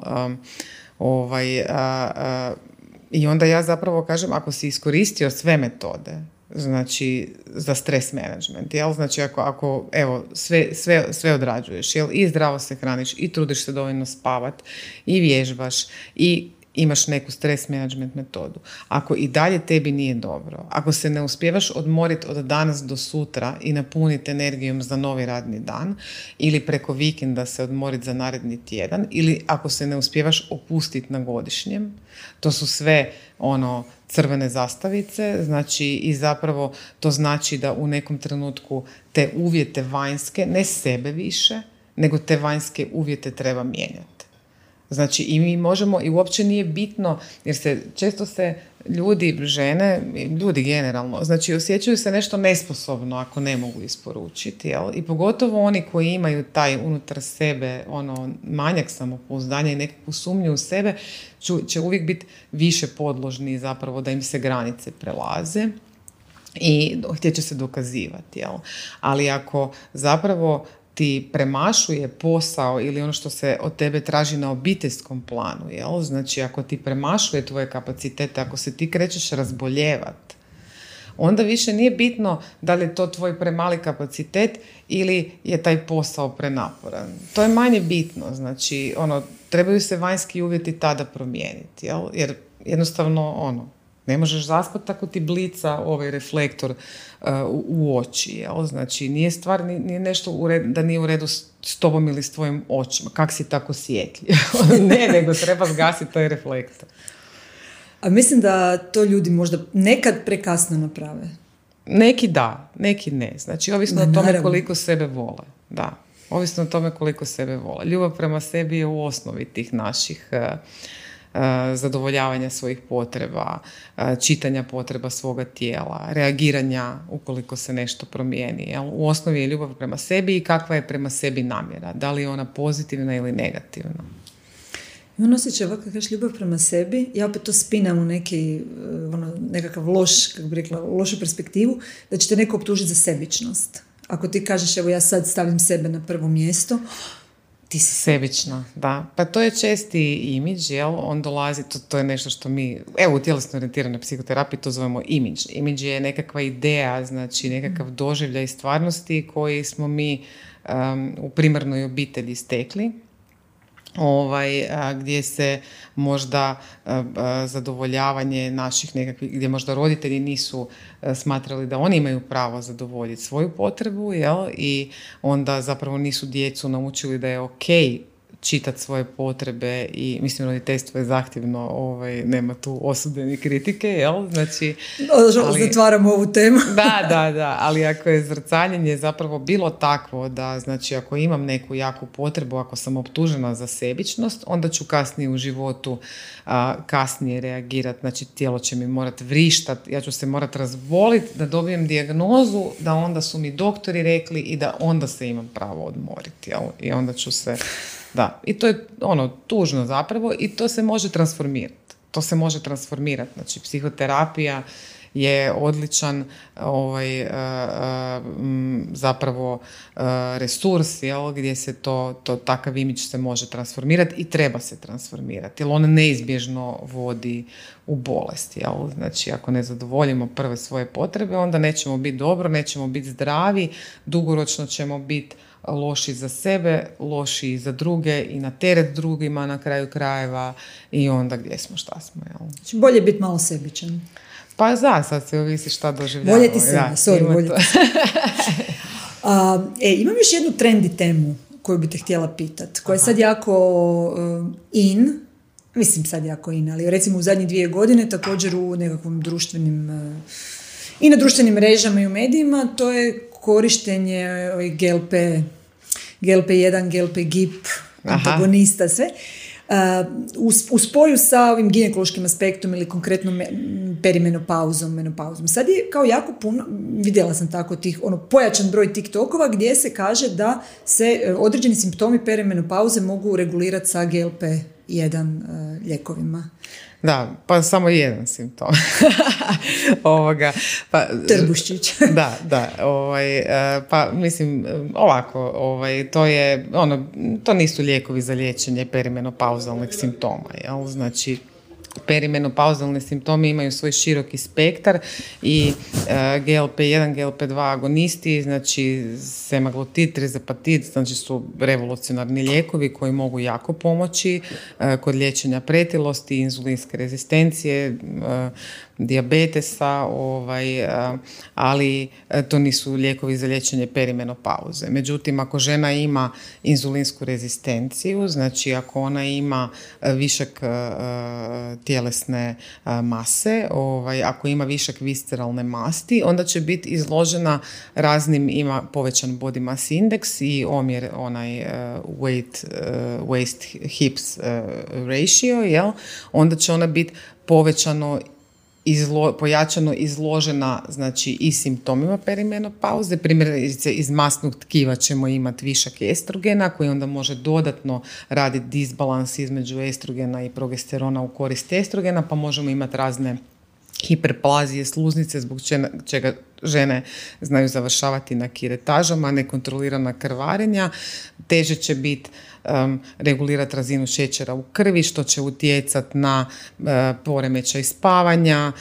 i onda ja zapravo kažem, ako si iskoristio sve metode, znači za stres management, jel? Znači ako evo, sve odrađuješ, jel? I zdravo se hraniš, i trudiš se dovoljno spavat, i vježbaš, i imaš neku stres management metodu. Ako i dalje tebi nije dobro, ako se ne uspijevaš odmoriti od danas do sutra i napuniti energijom za novi radni dan, ili preko vikenda se odmoriti za naredni tjedan, ili ako se ne uspijevaš opustiti na godišnjem, to su sve crvene zastavice, znači i zapravo to znači da u nekom trenutku te uvjete vanjske, ne sebe više, nego te vanjske uvjete treba mijenjati. Znači i mi možemo, i uopće nije bitno, jer često se žene, ljudi generalno, znači osjećaju se nešto nesposobno ako ne mogu isporučiti, jel? I pogotovo oni koji imaju taj unutar sebe manjak samopouzdanja i nekakvu sumnju u sebe, će uvijek biti više podložni zapravo da im se granice prelaze i htjeće se dokazivati, jel? Ali ako zapravo ti premašuje posao ili ono što se od tebe traži na obiteljskom planu, jel? Znači ako ti premašuje tvoje kapacitete, ako se ti krećeš razboljevat, onda više nije bitno da li je to tvoj premali kapacitet ili je taj posao prenaporan. To je manje bitno, znači trebaju se vanjski uvjeti tada promijeniti, jel? Jer jednostavno ne možeš zaspati ako ti blica ovaj reflektor u oči, jel? Znači nije stvar, nije nešto da nije u redu s tobom ili s tvojim očima. Kak si tako sjetljiv? Ne, nego treba zgasiti taj reflektor.
A mislim da to ljudi možda nekad prekasno naprave.
Neki da, neki ne. Znači ovisno o tome koliko sebe vole. Da, ovisno o tome koliko sebe vole. Ljubav prema sebi je u osnovi tih naših zadovoljavanja svojih potreba, čitanja potreba svoga tijela, reagiranja ukoliko se nešto promijeni. Jel? U osnovi je ljubav prema sebi i kakva je prema sebi namjera. Da li je ona pozitivna ili negativna?
Imam osjećaj ovako, kad kažeš ljubav prema sebi, ja opet to spinam u nekakav lošu perspektivu, da će te neko optužiti za sebičnost. Ako ti kažeš, evo ja sad stavim sebe na prvo mjesto, ti si
sebična, da. Pa to je česti imidž, jel? On dolazi, to je nešto što mi, evo u tjelesno orijentiranoj psihoterapiji to zovemo imidž. Imidž je nekakva ideja, znači nekakav doživljaj stvarnosti koji smo mi u primarnoj obitelji stekli. Gdje se možda zadovoljavanje naših nekakvih, gdje možda roditelji nisu smatrali da oni imaju pravo zadovoljiti svoju potrebu, jel? I onda zapravo nisu djecu naučili da je ok čitati svoje potrebe i mislim roditeljstvo je zahtjevno, nema tu osude ni kritike, jel? Znači,
zatvaramo ovu temu.
Da, ali ako je zrcaljenje zapravo bilo takvo da, znači ako imam neku jaku potrebu, ako sam optužena za sebičnost, onda ću kasnije u životu kasnije reagirati, znači tijelo će mi morati vrištati, ja ću se morati razboliti da dobijem dijagnozu, da onda su mi doktori rekli i da onda se imam pravo odmoriti, jel? I onda ću se... Da, i to je tužno zapravo i to se može transformirati. Znači, psihoterapija je odličan zapravo resurs, jel, gdje se to takav imidž se može transformirati i treba se transformirati, jer on neizbježno vodi u bolest. Jel? Znači, ako ne zadovoljimo prve svoje potrebe, onda nećemo biti dobro, nećemo biti zdravi, dugoročno ćemo biti loši za sebe, loši za druge i na teret drugima na kraju krajeva i onda gdje smo, šta smo. Jel?
Znači, bolje biti malo sebičan.
Pa sad se ovisi šta doživljamo.
Voljeti sebe, voljeti sebe. Imam još jednu trendi temu koju bi te htjela pitati, koja je sad jako ali recimo u zadnjih 2 godine također u nekakvom društvenim i na društvenim mrežama i u medijima, to je korištenje GLP-1, GLP-GIP, antagonista, sve. U spoju sa ovim ginekološkim aspektom ili konkretno perimenopauzom, menopauzom. Sad je kao jako puno, vidjela sam tako pojačan broj TikTokova gdje se kaže da se određeni simptomi perimenopauze mogu regulirati sa GLP-1 lijekovima.
Da, pa samo jedan simptom.
Trbuščić.
Da. Pa mislim, ovako, to nisu lijekovi za liječenje perimenopauzalnih simptoma, jel? Znači, perimenopauzalni simptomi imaju svoj široki spektar i GLP-1, GLP-2 agonisti, znači semaglutid, trizepatid, znači su revolucionarni lijekovi koji mogu jako pomoći kod liječenja pretilosti, inzulinske rezistencije, dijabetesa, ali to nisu lijekovi za liječenje perimenopauze. Međutim, ako žena ima inzulinsku rezistenciju, znači ako ona ima višak tjelesne mase, ako ima višak visceralne masti, onda će biti izložena raznim, ima povećan body mass index i omjer waist hips ratio, jel? Onda će ona biti pojačano izložena, znači, i simptomima perimenopauze. Primjerice, iz masnog tkiva ćemo imati višak estrogena koji onda može dodatno raditi disbalans između estrogena i progesterona u korist estrogena, pa možemo imati razne hiperplazije sluznice zbog čega žene znaju završavati na kiretažama, nekontrolirana krvarenja, teže će biti regulirati razinu šećera u krvi, što će utjecati na poremećaj spavanja,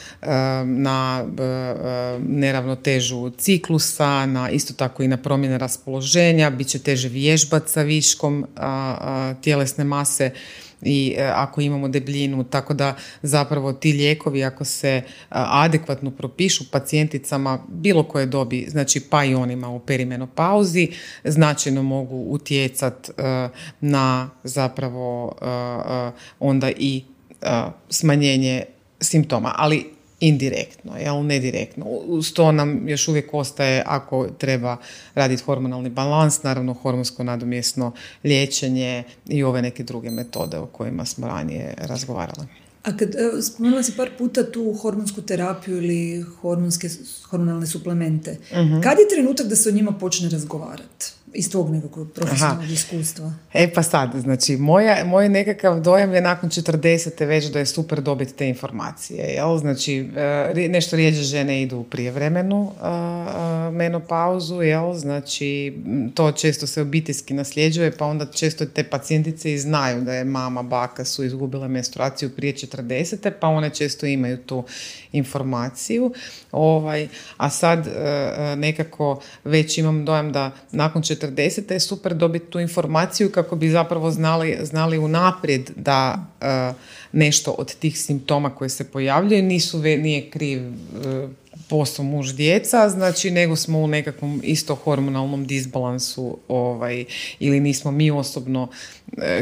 na neravnotežu ciklusa, na isto tako i na promjene raspoloženja, bit će teže vježbati sa viškom tjelesne mase i ako imamo debljinu, tako da zapravo ti lijekovi ako se adekvatno propišu pacijenticama bilo koje dobi, znači pa i onima u perimenopauzi, značajno mogu utjecati na zapravo onda i smanjenje simptoma, ali indirektno, jel, ne direktno. Uz to nam još uvijek ostaje, ako treba raditi hormonalni balans, naravno hormonsko nadomjesno liječenje i ove neke druge metode o kojima smo ranije razgovarali.
A kad spomenula si par puta tu hormonsku terapiju ili hormonalne suplemente, kad je trenutak da se o njima počne razgovarati? Iz tvog nekakvog profesionalnog iskustva.
Pa sad, znači, moj nekakav dojam je nakon 40. već da je super dobiti te informacije. Jel? Znači, nešto rijeđe žene idu u prijevremenu menopauzu, jel? Znači, to često se obiteljski nasljeđuje, pa onda često te pacijentice i znaju da je mama, baka su izgubile menstruaciju prije 40. pa one često imaju tu informaciju. A sad nekako već imam dojam da nakon 40. je super dobiti tu informaciju kako bi zapravo znali unaprijed da nešto od tih simptoma koje se pojavljaju nije kriv posao muž djeca, znači nego smo u nekakvom isto hormonalnom disbalansu ili nismo mi osobno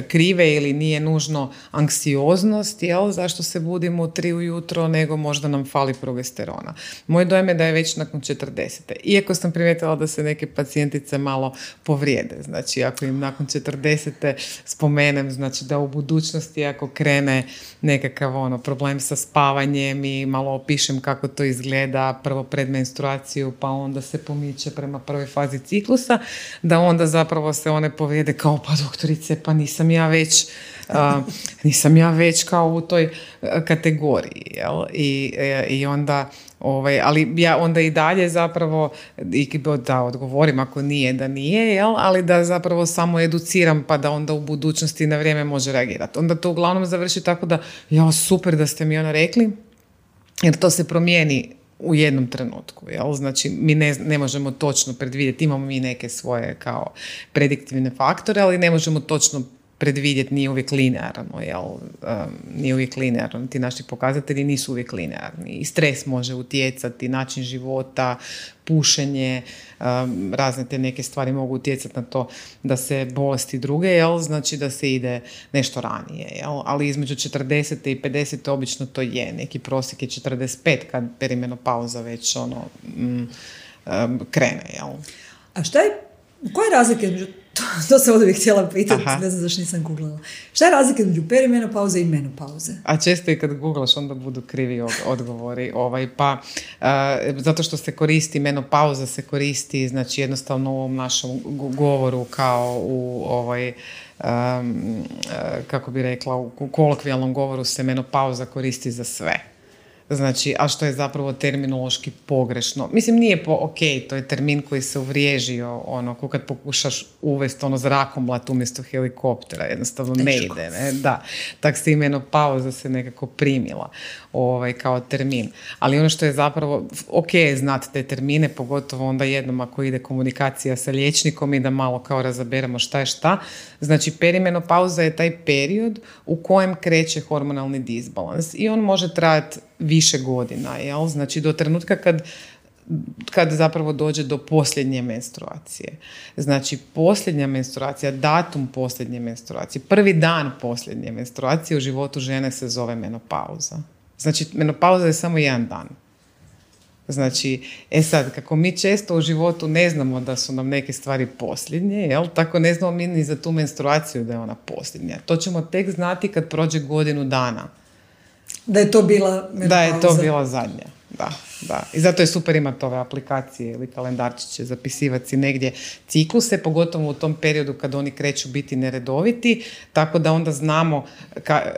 krive ili nije nužno anksioznost, jel, zašto se budimo u 3 ujutro, nego možda nam fali progesterona. Moj dojam je da je već nakon 40. Iako sam primijetila da se neke pacijentice malo povrijede, znači ako im nakon 40. spomenem, znači da u budućnosti ako krene nekakav problem sa spavanjem i malo opišem kako to izgleda, prvo pred menstruaciju, pa onda se pomiče prema prvoj fazi ciklusa, da onda zapravo se one povrijede kao, pa doktorice, pa nisam ja već kao u toj kategoriji, jel? I onda Ali ja onda i dalje zapravo, da odgovorim ako nije, da nije, jel? Ali da zapravo samo educiram pa da onda u budućnosti na vrijeme može reagirati. Onda to uglavnom završi tako da, super da ste mi rekli, jer to se promijeni u jednom trenutku. Jel? Znači, mi ne možemo točno predvidjeti, imamo mi neke svoje kao prediktivne faktore, ali ne možemo točno predvidjeti, nije uvijek linearno, nije uvijek linearno, ti naši pokazatelji nisu uvijek linearni. I stres može utjecati, način života, pušenje, razne te neke stvari mogu utjecati na to da se bolesti druge, znači da se ide nešto ranije. Ali između 40. i 50. obično to je. Neki prosjek je 45 kad perimenopauza već krene.
A šta je, koja je razlika između, to sam ovdje htjela pitati, ne znam zašto nisam googlala. Šta je razlika između perimenopauze i menopauze?
A često i kad googlaš onda budu krivi odgovori. Zato što se koristi, menopauza se koristi, znači jednostavno u ovom našem govoru kao u kako bi rekla, u kolokvijalnom govoru se menopauza koristi za sve. Znači, a što je zapravo terminološki pogrešno. Mislim, nije to je termin koji se uvriježio, ko kad pokušaš uvesti zrakomlat umjesto helikoptera, jednostavno ne ide. Ne? Da, tak se i menopauza se nekako primila kao termin. Ali ono što je zapravo, znati te termine, pogotovo onda jednom ako ide komunikacija sa liječnikom i da malo kao razaberemo šta je šta. Znači, perimenopauza je taj period u kojem kreće hormonalni disbalans i on može trajati više godina, jel? Znači do trenutka kad zapravo dođe do posljednje menstruacije. Znači posljednja menstruacija, datum posljednje menstruacije, prvi dan posljednje menstruacije u životu žene se zove menopauza. Znači menopauza je samo jedan dan. Znači, sad, kako mi često u životu ne znamo da su nam neke stvari posljednje, jel? Tako ne znamo mi ni za tu menstruaciju da je ona posljednja. To ćemo tek znati kad prođe godinu dana.
Da je to bila menopauza.
Da je to bila zadnja, da. I zato je super imati ove aplikacije ili kalendarčiće, zapisivati si negdje cikluse, pogotovo u tom periodu kad oni kreću biti neredoviti, tako da onda znamo,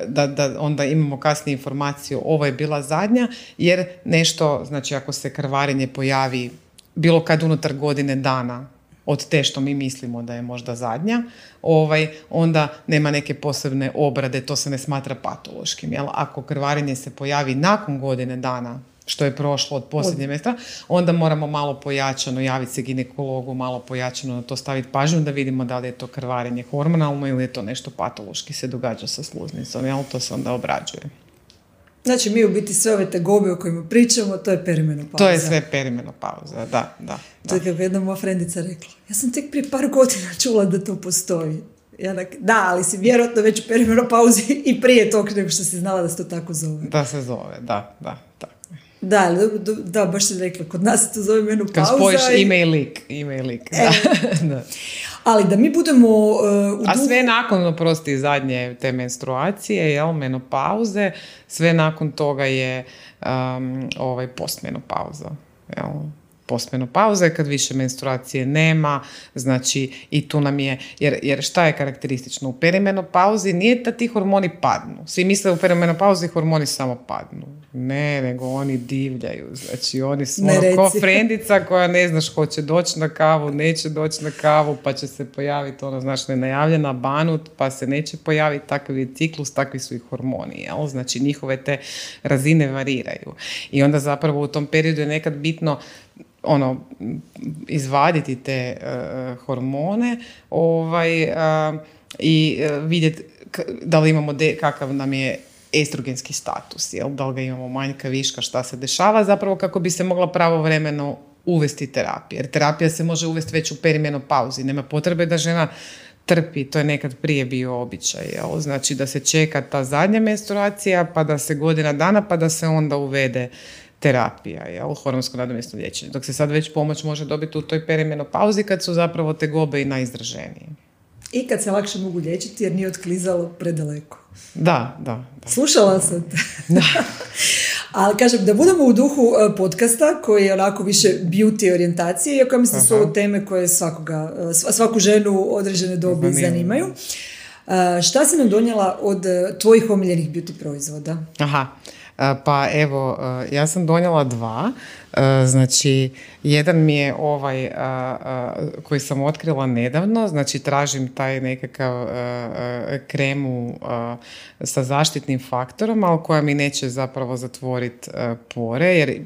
da onda imamo kasnije informaciju ovo je bila zadnja, jer nešto, znači ako se krvarenje pojavi bilo kad unutar godine dana od te što mi mislimo da je možda zadnja, onda nema neke posebne obrade, to se ne smatra patološkim. Jel? Ako krvarenje se pojavi nakon godine dana, što je prošlo od posljednje mjesta, onda moramo malo pojačano javiti se ginekologu, malo pojačano na to staviti pažnju da vidimo da li je to krvarenje hormonalno ili je to nešto patološki se događa sa sluznicom. Jel? To se onda obrađuje.
Znači, mi u biti sve ove tegobe o kojima pričamo, to je perimenopauza.
To je sve perimenopauza, da.
To je kako jedna moja frendica rekla. Ja sam tek prije par godina čula da to postoji. Da, ali si vjerojatno već u perimenopauzi i prije tog nego što si znala da se to tako zove.
Da se zove, da.
Da, baš si rekla, kod nas se to zove menopauza.
Kad spojiš ime i lik. Da.
Ali da mi budemo
a sve nakon, zadnje te menstruacije, menopauze, sve nakon toga je postmenopauza. Postmenopauza je kad više menstruacije nema, znači i tu nam je, jer šta je karakteristično? U perimenopauzi nije da ti hormoni padnu. Svi misle u perimenopauzi hormoni samo padnu. Ne, nego oni divljaju. Znači oni su ko frendica koja ne znaš hoće doći na kavu, neće doći na kavu, pa će se pojaviti nenajavljena banut, pa se neće pojaviti, takav je ciklus, takvi su i hormoni. Jel? Znači njihove te razine variraju. I onda zapravo u tom periodu je nekad bitno izvaditi te hormone i vidjeti da li imamo kakav nam je estrogenski status, jel? Da li ga imamo manjka, viška, šta se dešava, zapravo kako bi se mogla pravovremeno uvesti terapija. Jer terapija se može uvesti već u perimenopauzi. Nema potrebe da žena trpi, to je nekad prije bio običaj. Jel? Znači da se čeka ta zadnja menstruacija, pa da se godina dana, pa da se onda uvede terapija, jel? Hormonsko nadomjesno liječenje. Dok se sad već pomoć može dobiti u toj perimenopauzi kad su zapravo tegobe i najizraženije.
I kad se lakše mogu liječiti jer nije otklizalo predaleko.
Da.
Slušala sam te. Da. Ali kažem, da budemo u duhu podcasta koji je onako više beauty orijentacije, iako mislim su ovo teme koje svaku ženu određene dobi zanimaju. Šta si nam donijela od tvojih omiljenih beauty proizvoda?
Pa evo, ja sam donijela 2. Znači, jedan mi je ovaj koji sam otkrila nedavno, znači tražim taj nekakav kremu sa zaštitnim faktorom, ali koja mi neće zapravo zatvoriti pore, jer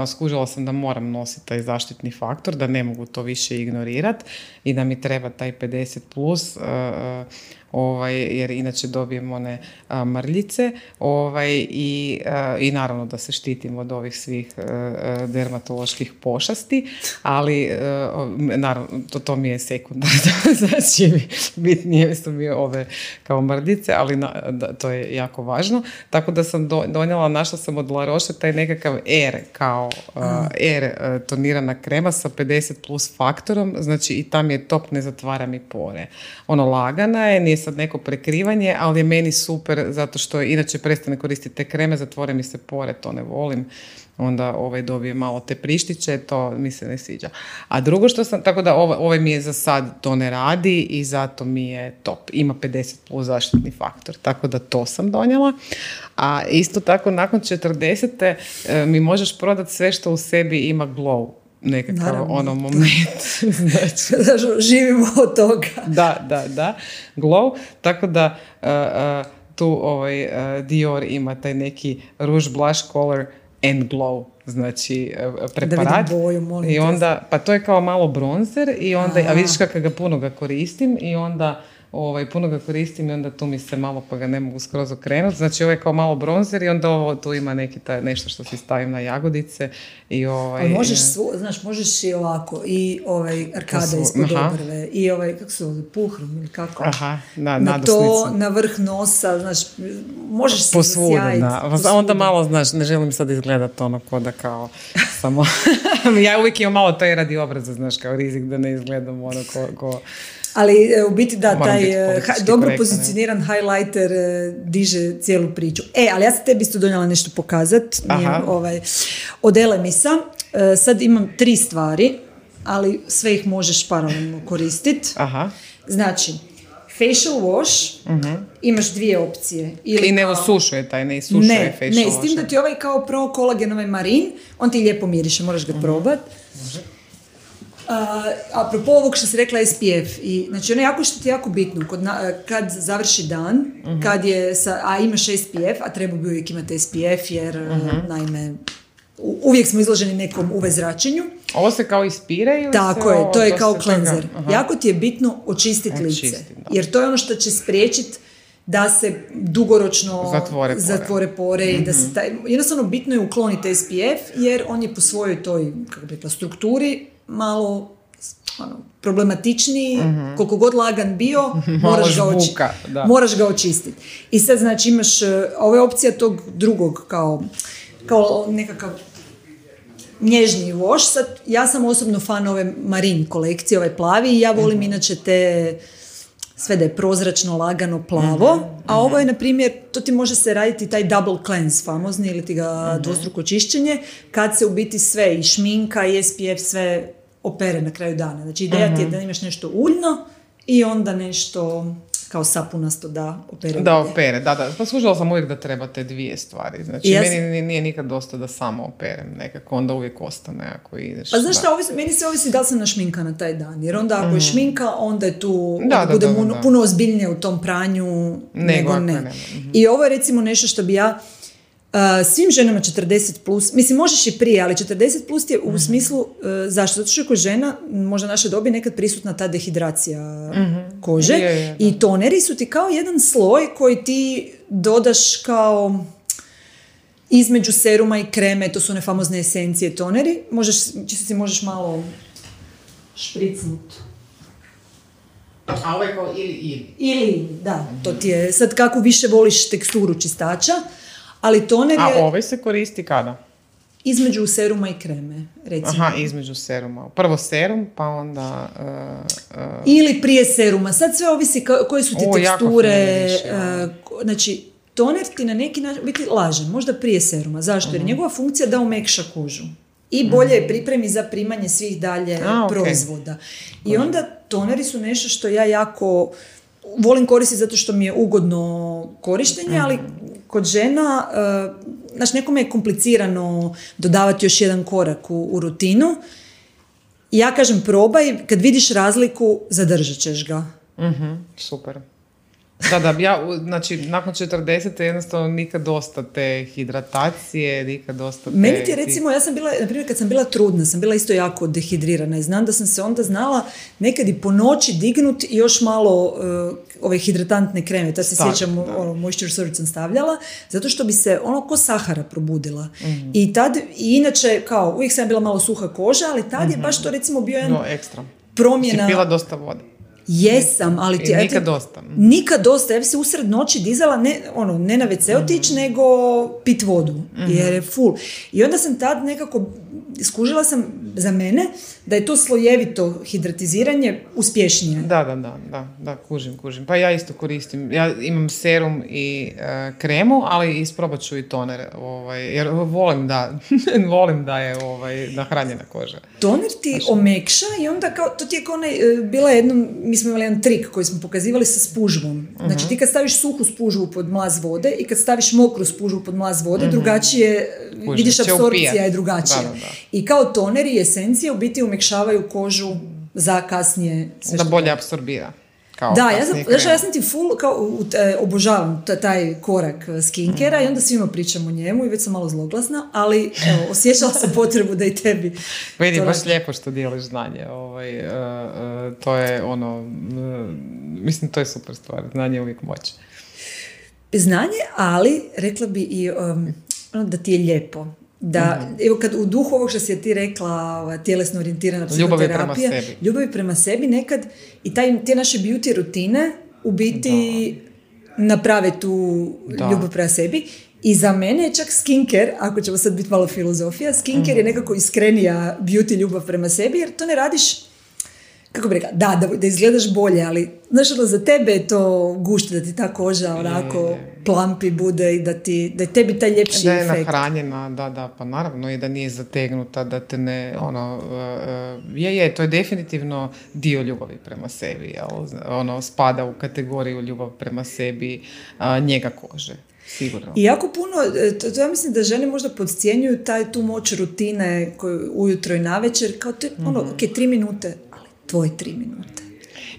skužila sam da moram nositi taj zaštitni faktor, da ne mogu to više ignorirati i da mi treba taj 50+, jer inače dobijem one mrljice, i naravno da se štitim od ovih svih dermatoloških pošasti, ali naravno to mi je sekundarno, znači bitnije su mi ove kao mrljice, ali to je jako važno, tako da sam donijela, našla sam od La Roche taj nekakav kao tonirana krema sa 50+ faktorom, znači i tam je top, ne zatvara mi pore. Lagana je, nije sad neko prekrivanje, ali je meni super zato što inače prestane koristiti te kreme, zatvore mi se pore, to ne volim. Onda dobije malo te prištiće, to mi se ne sviđa. A drugo što sam, tako da ovaj mi je za sad, to ne radi i zato mi je top. Ima 50+ zaštitni faktor, tako da to sam donijela. A isto tako, nakon 40. mi možeš prodati sve što u sebi ima glow. Nekakav moment.
Znači, živimo od toga.
Da. Glow. Tako da tu Dior ima taj neki Rouge Blush Color and Glow, znači preparat.
Da vidim boju, molim.
I onda, pa to je kao malo bronzer i onda, a vidiš kako ga puno ga koristim i onda puno ga koristim i onda tu mi se malo, pa ga ne mogu skroz okrenuti. Znači ovo je kao malo bronzer i onda ovo tu ima neki nešto što si stavim na jagodice i
Ali možeš, možeš i ovako, i arkada ispod obrve, i kako se zove, puhrom ili kako.
Aha,
na to, na vrh nosa, možeš se zasjajiti.
Onda malo, ne želim sad izgledati ko da kao samo, ja uvijek imam malo taj radi obraza, kao rizik da ne izgledam ko...
Ali u biti taj dobro pozicioniran highlighter diže cijelu priču. Ali ja sam tebi isto donijela nešto pokazat. Od Elemisa. Sad imam 3 stvari, ali sve ih možeš paralelno koristiti. Znači, facial wash, imaš 2 opcije.
I ne osušuje ne isušuje facial wash.
Ne, s tim da ti kao pro kolagen marin, on ti lijepo miriše, moraš ga probati. Apropo ovog što si rekla SPF, znači ono što ti je jako bitno kad završi dan, kad je a imaš SPF, a treba bi uvijek imati SPF jer naime uvijek smo izloženi nekom UV zračenju.
Ovo se kao ispire ili
tako je, to je kao cleanser. Jako ti je bitno očistiti lice, jer to je ono što će spriječiti da se dugoročno zatvore pore i da se jednostavno bitno je ukloniti SPF jer on je po svojoj toj strukturi malo problematičniji, koliko god lagan bio, moraš ga očistiti. I sad znači imaš, ovo je opcija tog drugog kao nekakav nježniji wash. Sad, ja sam osobno fan ove marin kolekcije, ovaj plavi, i ja volim inače te sve da je prozračno, lagano, plavo, a ovo je, na primjer, to ti može se raditi taj double cleanse famozni ili ti ga dvostruko čišćenje, kad se u biti sve, i šminka i SPF, sve opere na kraju dana. Znači, ideja ti je da imaš nešto uljno i onda nešto kao sapunasto da opere.
Da opere, da. Pa služila sam uvijek da treba te 2 stvari. Znači, meni nije nikad dosta da samo operem. Nekako onda uvijek ostane ako ideš.
Pa znaš šta, meni se ovisi da li sam našminka na taj dan. Jer onda ako je šminka, onda je tu, bude puno ozbiljnije u tom pranju nego ne. I ovo je recimo nešto što bi ja svim ženama 40+, mislim možeš i prije, ali 40+ je u smislu zašto? Zato što je kod žena, možda naše dobi, nekad prisutna ta dehidracija kože i toneri su ti kao jedan sloj koji ti dodaš kao između seruma i kreme, to su one famozne esencije toneri, možeš malo špricnuti.
A ovo je kao ili?
Ili, da, to ti je, sad kako više voliš teksturu čistača, ali toner je...
A ovaj se koristi kada?
Između seruma i kreme, recimo.
Aha, između seruma. Prvo serum, pa onda...
Ili prije seruma. Sad sve ovisi koje su ti teksture. Znači, toner ti na neki način biti lažen, možda prije seruma. Zašto? Jer njegova funkcija da omekša kožu. I bolje je pripremi za primanje svih dalje proizvoda. I onda toneri su nešto što ja jako volim koristiti zato što mi je ugodno korištenje, ali kod žena znači nekome je komplicirano dodavati još jedan korak u rutinu. Ja kažem probaj, kad vidiš razliku, zadržat ćeš ga.
Super. Da, ja, znači, nakon 40. jednostavno nikad dosta te hidratacije, nikad dosta te...
Meni ti recimo, ja sam bila, na primjer, kad sam bila trudna, sam bila isto jako dehidrirana i znam da sam se onda znala nekad i po noći dignut i još malo ove hidratantne kreme, ta se sjećam, moisture surge sam stavljala, zato što bi se ko sahara probudila. I tad, i inače, kao, uvijek sam bila malo suha koža, ali tad je baš to recimo bio jedan
ekstra.
Promjena...
Si pila dosta vode.
Jesam, ali ti...
Nikad dosta.
Nikad dosta. Ja bi se usred noći dizala ne na WC otići, nego pit vodu. Jer je full. I onda sam tad nekako skužila sam za mene da je to slojevito hidratiziranje uspješnije.
Da, kužim. Pa ja isto koristim. Ja imam serum i kremu, ali isprobat ću i toner. Jer volim da je nahranjena koža.
Toner ti omekša i onda kao, to ti je kao bila jednom, mi smo imali jedan trik koji smo pokazivali sa spužvom. Znači ti kad staviš suhu spužvu pod mlaz vode i kad staviš mokru spužvu pod mlaz vode, drugačije, vidiš apsorpcija je drugačija. Da. I kao toner i esencije u biti umekšavaju kožu za kasnije.
Da bolje apsorbira.
Da, ja sam ti full, obožavam taj korak skinkera i onda svima pričam o njemu i već sam malo zloglasna, ali osjećala sam potrebu da i tebi.
Vidi, baš lijepo što dijeliš znanje. To je mislim, to je super stvar. Znanje je uvijek moć.
Znanje, ali rekla bi i da ti je lijepo. Da, evo kad u duhu ovog što si ti rekla, tjelesno orijentirana psihoterapija, ljubavi prema sebi nekad i te naše beauty rutine u biti naprave tu ljubav prema sebi. I za mene je čak skincare, ako ćemo sad biti malo filozofija, skincare je nekako iskrenija beauty ljubav prema sebi, jer to ne radiš, kako bi rekla, da izgledaš bolje, ali znaš, za tebe je to gušt, da ti ta koža onako plampi bude i da je tebi taj ljepši efekt.
Da je nahranjena, pa naravno i da nije zategnuta, da te ne, to je definitivno dio ljubavi prema sebi, jel? Spada u kategoriju ljubav prema sebi, njega kože. Sigurno.
I jako puno, to ja mislim da žene možda podcjenjuju tu moć rutine koju ujutro i navečer, kao to je 3 minute, ali tvoje 3 minute.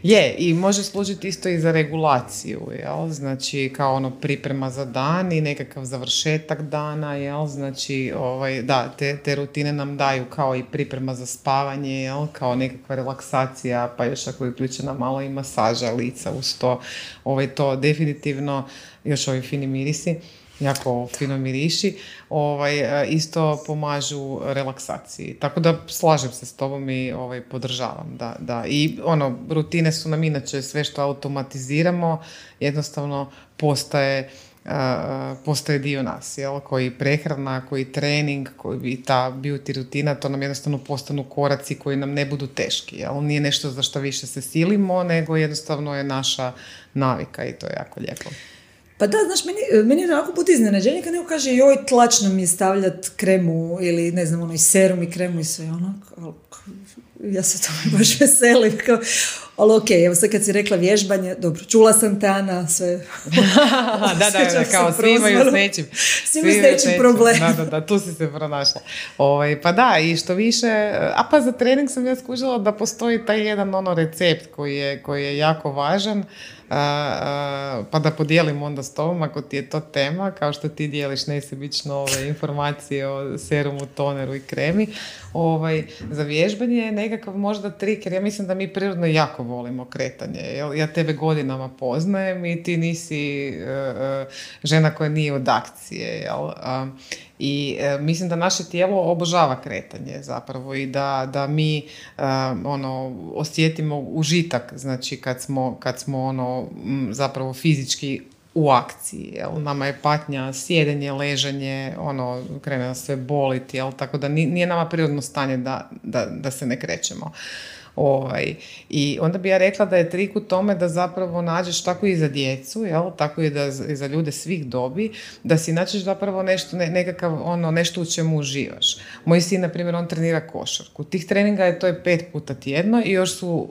Je, i može služiti isto i za regulaciju, jel? Znači kao priprema za dan i nekakav završetak dana, jel? Znači, te rutine nam daju kao i priprema za spavanje, jel? Kao nekakva relaksacija, pa još ako je uključena malo i masaža lica uz to, to definitivno, još ovi fini mirisi, jako fino miriši, isto pomažu relaksaciji. Tako da slažem se s tobom i podržavam. Da. I rutine su nam inače sve što automatiziramo, jednostavno postaje dio nas, jel? Koji prehrana, koji trening, koji ta beauty rutina, to nam jednostavno postanu koraci koji nam ne budu teški, jel? Nije nešto za što više se silimo, nego jednostavno je naša navika i to je jako lijepo.
Pa da, znaš, meni je onako put iznenađenje kad neko kaže joj, tlačno mi je stavljati kremu ili ne znam, i serum i kremu i sve ja se to baš veselim. Ali okej, evo sad kad si rekla vježbanje, dobro, čula sam te, Ana, sve.
da, kao svi imaju s nečim.
Svi imaju s nečim problem.
Da, tu si se pronašla. Pa da, i što više, pa za trening sam ja skužila da postoji taj jedan recept koji je jako važan, pa da podijelim onda s tobom ako ti je to tema, kao što ti dijeliš nesebično informacije o serumu, toneru i kremi. Za vježbanje je nekakav možda trik, jer ja mislim da mi prirodno jako volimo kretanje. Ja tebe godinama poznajem i ti nisi žena koja nije od akcije. Jel? I mislim da naše tijelo obožava kretanje zapravo i da mi osjetimo užitak, znači kad smo zapravo fizički u akciji, jel? Nama je patnja, sjedenje, leženje, krene nas sve boliti, jel? Tako da nije nama prirodno stanje da se ne krećemo. I onda bi ja rekla da je trik u tome da zapravo nađeš tako i za djecu, jel? Tako i i za ljude svih dobi, da si nađeš zapravo nešto, nešto u čemu uživaš. Moj sin, na primjer, on trenira košarku. Tih treninga to je 5 puta tjedno i još su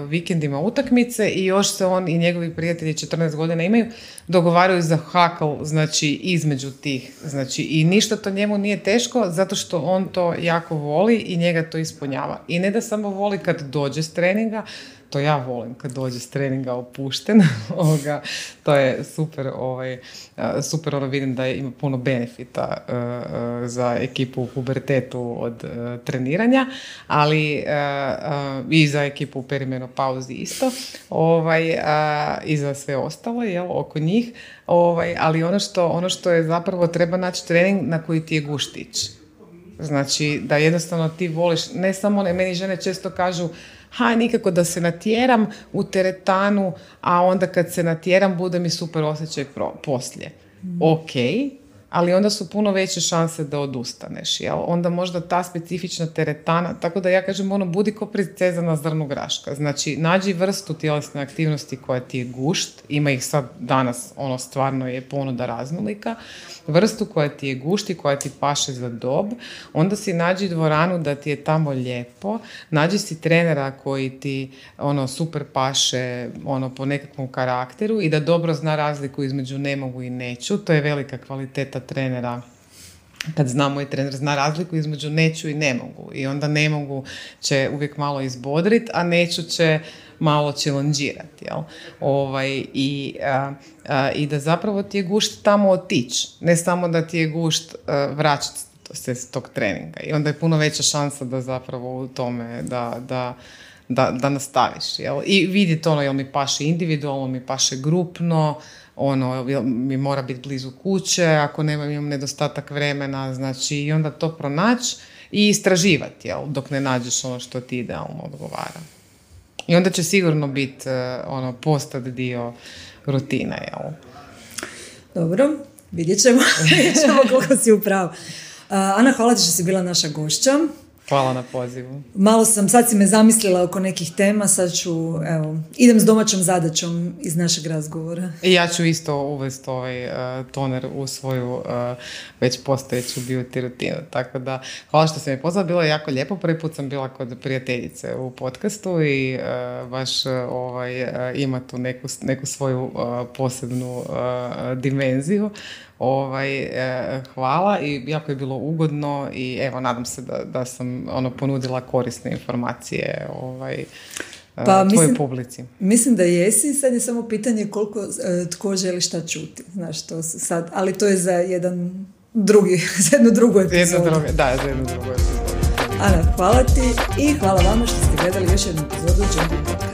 vikendima utakmice i još se on i njegovi prijatelji 14 godina imaju, dogovaraju za hakl, znači između tih. Znači, i ništa to njemu nije teško zato što on to jako voli i njega to ispunjava. I ne da samo voli kad dođe s treninga, to ja volim kad dođe s treninga opušten, to je super, super vidim da ima puno benefita za ekipu u pubertetu od treniranja, ali i za ekipu u perimenopauzi isto, i za sve ostalo, oko njih, ali ono što je zapravo, treba naći trening na koji ti je guštić. Znači, da jednostavno ti voliš, ne samo, meni žene često kažu, nikako da se natjeram u teretanu, a onda kad se natjeram bude mi super osjećaj poslije. Ok, ali onda su puno veće šanse da odustaneš, jel? Onda možda ta specifična teretana, tako da ja kažem, budi ko princeza na zrnu graška. Znači, nađi vrstu tjelesne aktivnosti koja ti je gušt, ima ih sad danas, stvarno je ponuda raznolika, vrstu koja ti je gušt i koja ti paše za dob, onda si nađi dvoranu da ti je tamo lijepo, nađi si trenera koji ti super paše po nekakvom karakteru i da dobro zna razliku između ne mogu i neću, to je velika kvaliteta trenera. Kad znamo i trener zna razliku između neću i ne mogu. I onda ne mogu će uvijek malo izbodrit, a neću će malo challenge-irati. I da zapravo ti je gušt tamo otići. Ne samo da ti je gušt vraćati se s tog treninga. I onda je puno veća šansa da zapravo u tome da nastaviš. Jel? I vidjeti jel mi paše individualno, mi paše grupno, mi mora biti blizu kuće, ako imam nedostatak vremena, znači i onda to pronaći i istraživati, jel, dok ne nađeš ono što ti idealno odgovara. I onda će sigurno biti postat dio rutina, jel?
Dobro, vidjet ćemo koliko si u pravu. Ana, hvala ti što si bila naša gošća.
Hvala na pozivu.
Sad si me zamislila oko nekih tema, sad ću, idem s domaćom zadaćom iz našeg razgovora.
I ja ću isto uvesti toner u svoju već postojeću beauty rutinu. Tako da, hvala što si me pozvala, bilo je jako lijepo. Prvi put sam bila kod prijateljice u podcastu i baš ima tu neku svoju posebnu dimenziju. Hvala i jako je bilo ugodno i nadam se da sam ponudila korisne informacije tvojoj publici.
Mislim da jesi, sad je samo pitanje koliko tko želi šta čuti, znaš, to sad, ali to je za jednu drugu epizodu.
Za jednu drugu epizodu.
Ana, hvala ti i hvala vama što ste gledali još jednu epizodu Jumping Podcast.